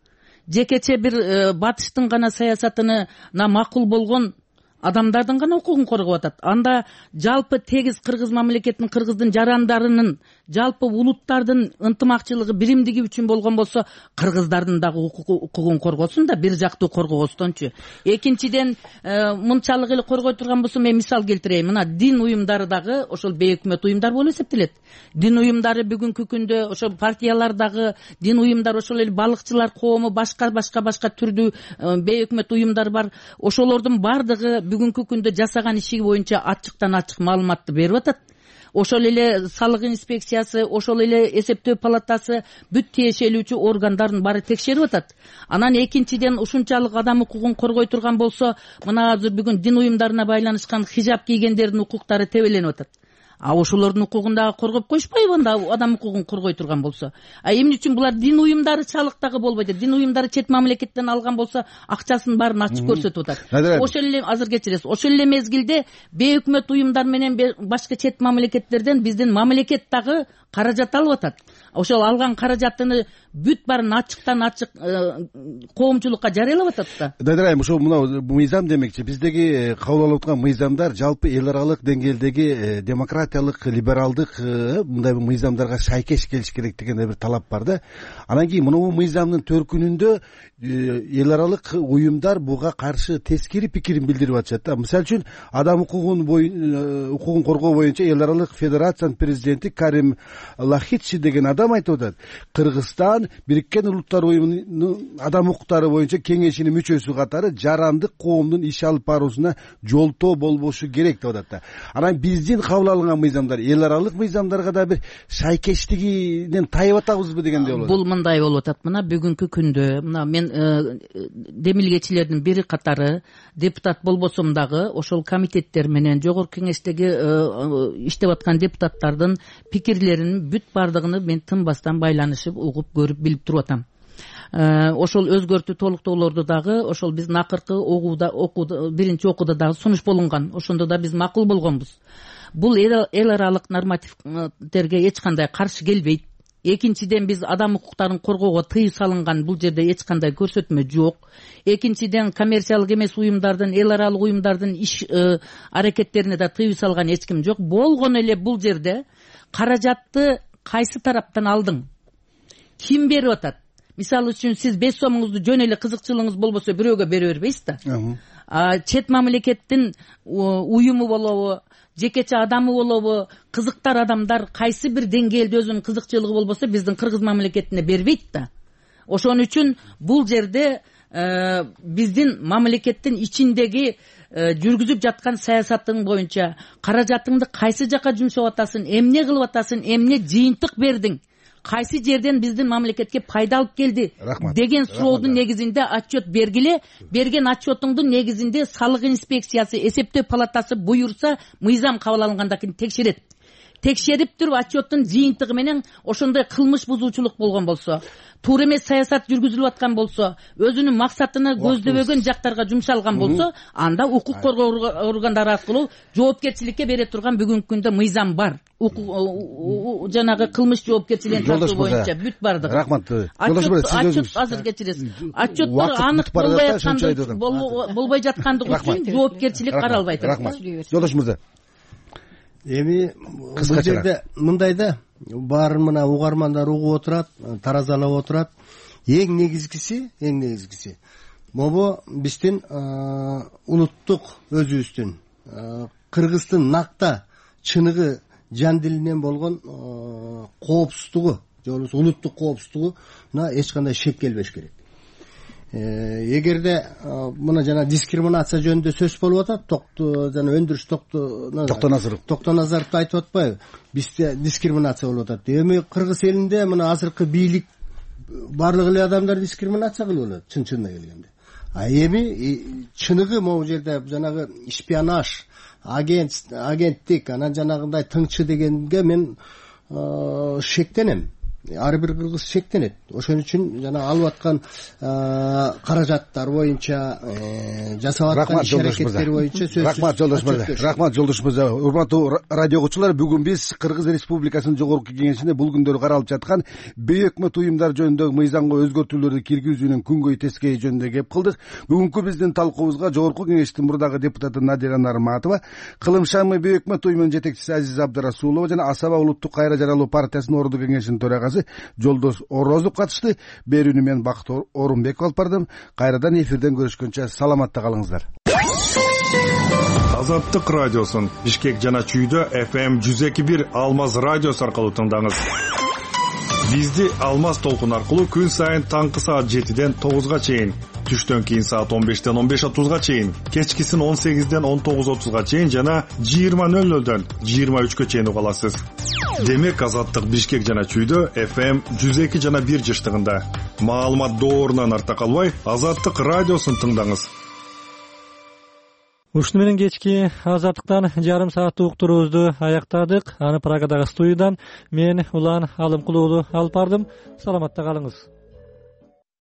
Жекече бир батыштын гана саясатына макул болгон адамдардын гана укугун коргоп атат. Анда жалпы тегиз кыргыз мамлекетинин, кыргыздын жарандарынын, жалпы улуттардын ынтымакчылыгы, биримдиги үчүн болгон болсо, кыргыздардын дагы укугун коргосун да, бир жактуу коргобостончу. Экинчиден, мынчалык эле коргой турган болсо, мен мисал келтирейин. Мына дин уюмдары дагы ошол бейөкмөт уюмдар болуп эсептелет. Дин уюмдары бүгүнкү күндө ошол партиялар дагы, дин уюмдары, ошол эле балыкчылар коому, башка түрдүү бейөкмөт уюмдар бар. Ошолордун бардыгы бүгүнкү күндө жасаган иши боюнча ачыктан ачык маалыматты берип атат. Ошол эле салык инспекциясы, ошол эле эсептөө палатасы, бүт тиешелүүчү органдардын баары текшерип атат. Анан экинчиден, ушунчалык адам укугун коргой турган болсо, мына азыр бүгүн дин уюмдарына байланышкан хижап кийгендердин укуктары тебеленип атат. Ошолордун укугун дагы коргоп коюшпайбы анда адам укугун коргой турган болсо? Эмне үчүн булар дин уюмдары чалык дагы болбойт? Дин уюмдары чет мамлекеттен алган болсо, акчасын баарын ачык көрсөтүп атат. Ошол эле азыр кечиресиз. Ошол эле мезгилде бейөкмөт уюмдар менен башка чет мамлекеттерден биздин мамлекет дагы каражат алып атат. Ошол алган каражатыны бүт баарын ачыктан ачык коомчулукка жарыялап атат да. Надира айым, ошол мына мыйзам демекчи, биздеги кабыл алып аткан мыйзамдар жалпы эл аралык деңгээлдеги демократиялык, либералдык мындай мыйзамдарга шайкеш келиш керек деген бир талап бар да. Анан кийин мына мыйзамдын төркүнүндө эл аралык уюмдар буга каршы тескери пикирин билдирип атышат да. Мисалы үчүн адам укугун коргоо боюнча эл аралык федерациянын президенти Карим Лахичи деген адам айтып атат. Кыргызстан Бириккен Улуттар уюмунун адам укуктары боюнча кеңешинин мүчөсү катары жарандык коомдун иш алып баруусуна жолтоо болбошу керек деп атат да. Анан биздин кабыл алынган мыйзамдар эл аралык мыйзамдарга да бир шайкештигинен тайып атабызбы дегендей болот. Бул мындай болуп атат. Мына бүгүнкү күндө мына мен демилгечилердин бири катары депутат болбосом дагы ошол комитеттер менен жогорку кеңештеги иштеп аткан депутаттардын пикирлеринин бүт бардыгын мен тынбастан байланышып, угуп, көрүп, билип туруп атам. Ошол өзгөртүү толуктоолорду дагы ошол биздин акыркы биринчи окууда дагы сунуш болунган. Ошондо да биз макул болгонбуз. Бул эл аралык нормативтерге эч кандай каршы келбейт. Экинчиден, биз адам укуктарын коргоого тыюу салынган, бул жерде эч кандай көрсөтмө жок. Экинчиден, коммерциялык эмес уюмдардын, эл аралык уюмдардын иш аракеттерине да тыюу салган эч ким жок. Болгон эле бул жерде каражатты кайсы тараптан алдың? Ким берип атат? Мисалы үчүн, сиз 5 сомуңузду жөн эле кызыкчылыгыңыз болбосо бирөөгө бере бербейсиз да. Чет мамлекеттин уюму болобу, жекече адамы болобу, кызыктар адамдар кайсы бир деңгээлде өзүнүн кызыкчылыгы болбосо биздин кыргыз мамлекетине бербейт да. Ошон үчүн бул жерде биздин мамлекеттин ичиндеги жүргүзүп жаткан саясатың боюнча каражатыңды кайсы жака жумшап атасың, эмне кылып атасың, эмне жыйынтык бердиң, кайсы жерден биздин мамлекетке пайда алып келди деген суроодун негизинде отчет бергиле. Берген отчетуңдун негизинде салык инспекциясы, эсептөө палатасы буюрса, мыйзам кабыл алынгандан кийин текшерет. Текшерип туруп отчеттун жыйынтыгы менен ошондой кылмыш бузуучулук болгон болсо, туура эмес саясат жүргүзүлүп аткан болсо, өзүнүн максатына көздөбөгөн жактарга жумшалган болсо, анда укук коргоо органдары аркылуу жоопкерчиликке бере турган бүгүнкү күндө мыйзам бар. Жанагы кылмыш жоопкерчилигин тартуу боюнча бүт бардыгы. Рахмат. Отчет азыр кечиресиз. Отчеттор анык болбой жаткандыгы үчүн жоопкерчилик каралбайт. Рахмат. Жолдош мырза. эми бул жерде мындай да, баарын мына угармандар угуп отурат, таразалап отурат. Эң негизгиси могу биздин улуттук өзүбүздүн Кыргыздын накта чыныгы жан дилинен болгон коопсуздугу же болбосо улуттук коопсуздугуна эч кандай шек келбеш керек. Эгерде мына жана дискриминация жөнүндө сөз болуп атат, жана өндүрүш Токтоназаровду айтып атпайбы? Бизде дискриминация болуп атат. Эми Кыргыз элинде мына азыркы бийлик баардык эле адамдар дискриминация кылып алат, чын-чынына келгенде. А эми чыныгы могу жерде жанагы шпионаж, агенттик, анан жанагындай тыңчы дегенге мен шектенем. Ар бир кыргыз шектенет. Ошон үчүн жана алып аткан каражаттар боюнча, жасап аткан иш-аракеттер боюнча сөзсүз. Рахмат Жолдош мырза. Урматтуу радио угуучулар, бүгүн биз Кыргыз Республикасынын Жогорку Кеңешинде бул күндөрү каралып жаткан бейөкмөт уюмдар жөнүндөгү мыйзамга өзгөртүүлөрдү киргизүүнүн күнгөй тескейи жөнүндө кеп кылдык. Бүгүнкү биздин талкуубузга Жогорку Кеңештин мурдагы депутаты Надира Нарматова, Кылым Шамы бейөкмөт уюмунун жетекчиси Азиз Абдрасулова жана Асаба улуттук кайра жаралуу партиясынын ордуу кеңешинин төрагасы Жолдош Орозов катышты. Берүүнү мен Бакыт Орунбеков алып бардым. Кайрадан эфирден көрүшкөнчө саламатта калыңыздар. Азаттык радиосун Бишкек жана Чүйдө FM 102.1 Алмаз радиосу аркылуу тыңдаңыз. Бизди Алмаз толкун аркылуу күн сайын таңкы саат 7ден 9га чейин, түштөн кийин саат 15ден 15:30га чейин, кечкисин 18ден 19:30га чейин жана 20:00дөн 23ге чейин уга аласыз. Демек Азаттык Бишкек жана Чүйдө FM 102 жана 1 жыштыгында. Маалымат доорунан артта калбай, Азаттык радиосун тыңдаңыз. Ушуну менен кечки Азаттыктан жарым сааттык уктуруубузду аяктадык. Аны Прагадагы студиядан мен Улан Алымкулуу алып бардым. Саламатта калыңыз.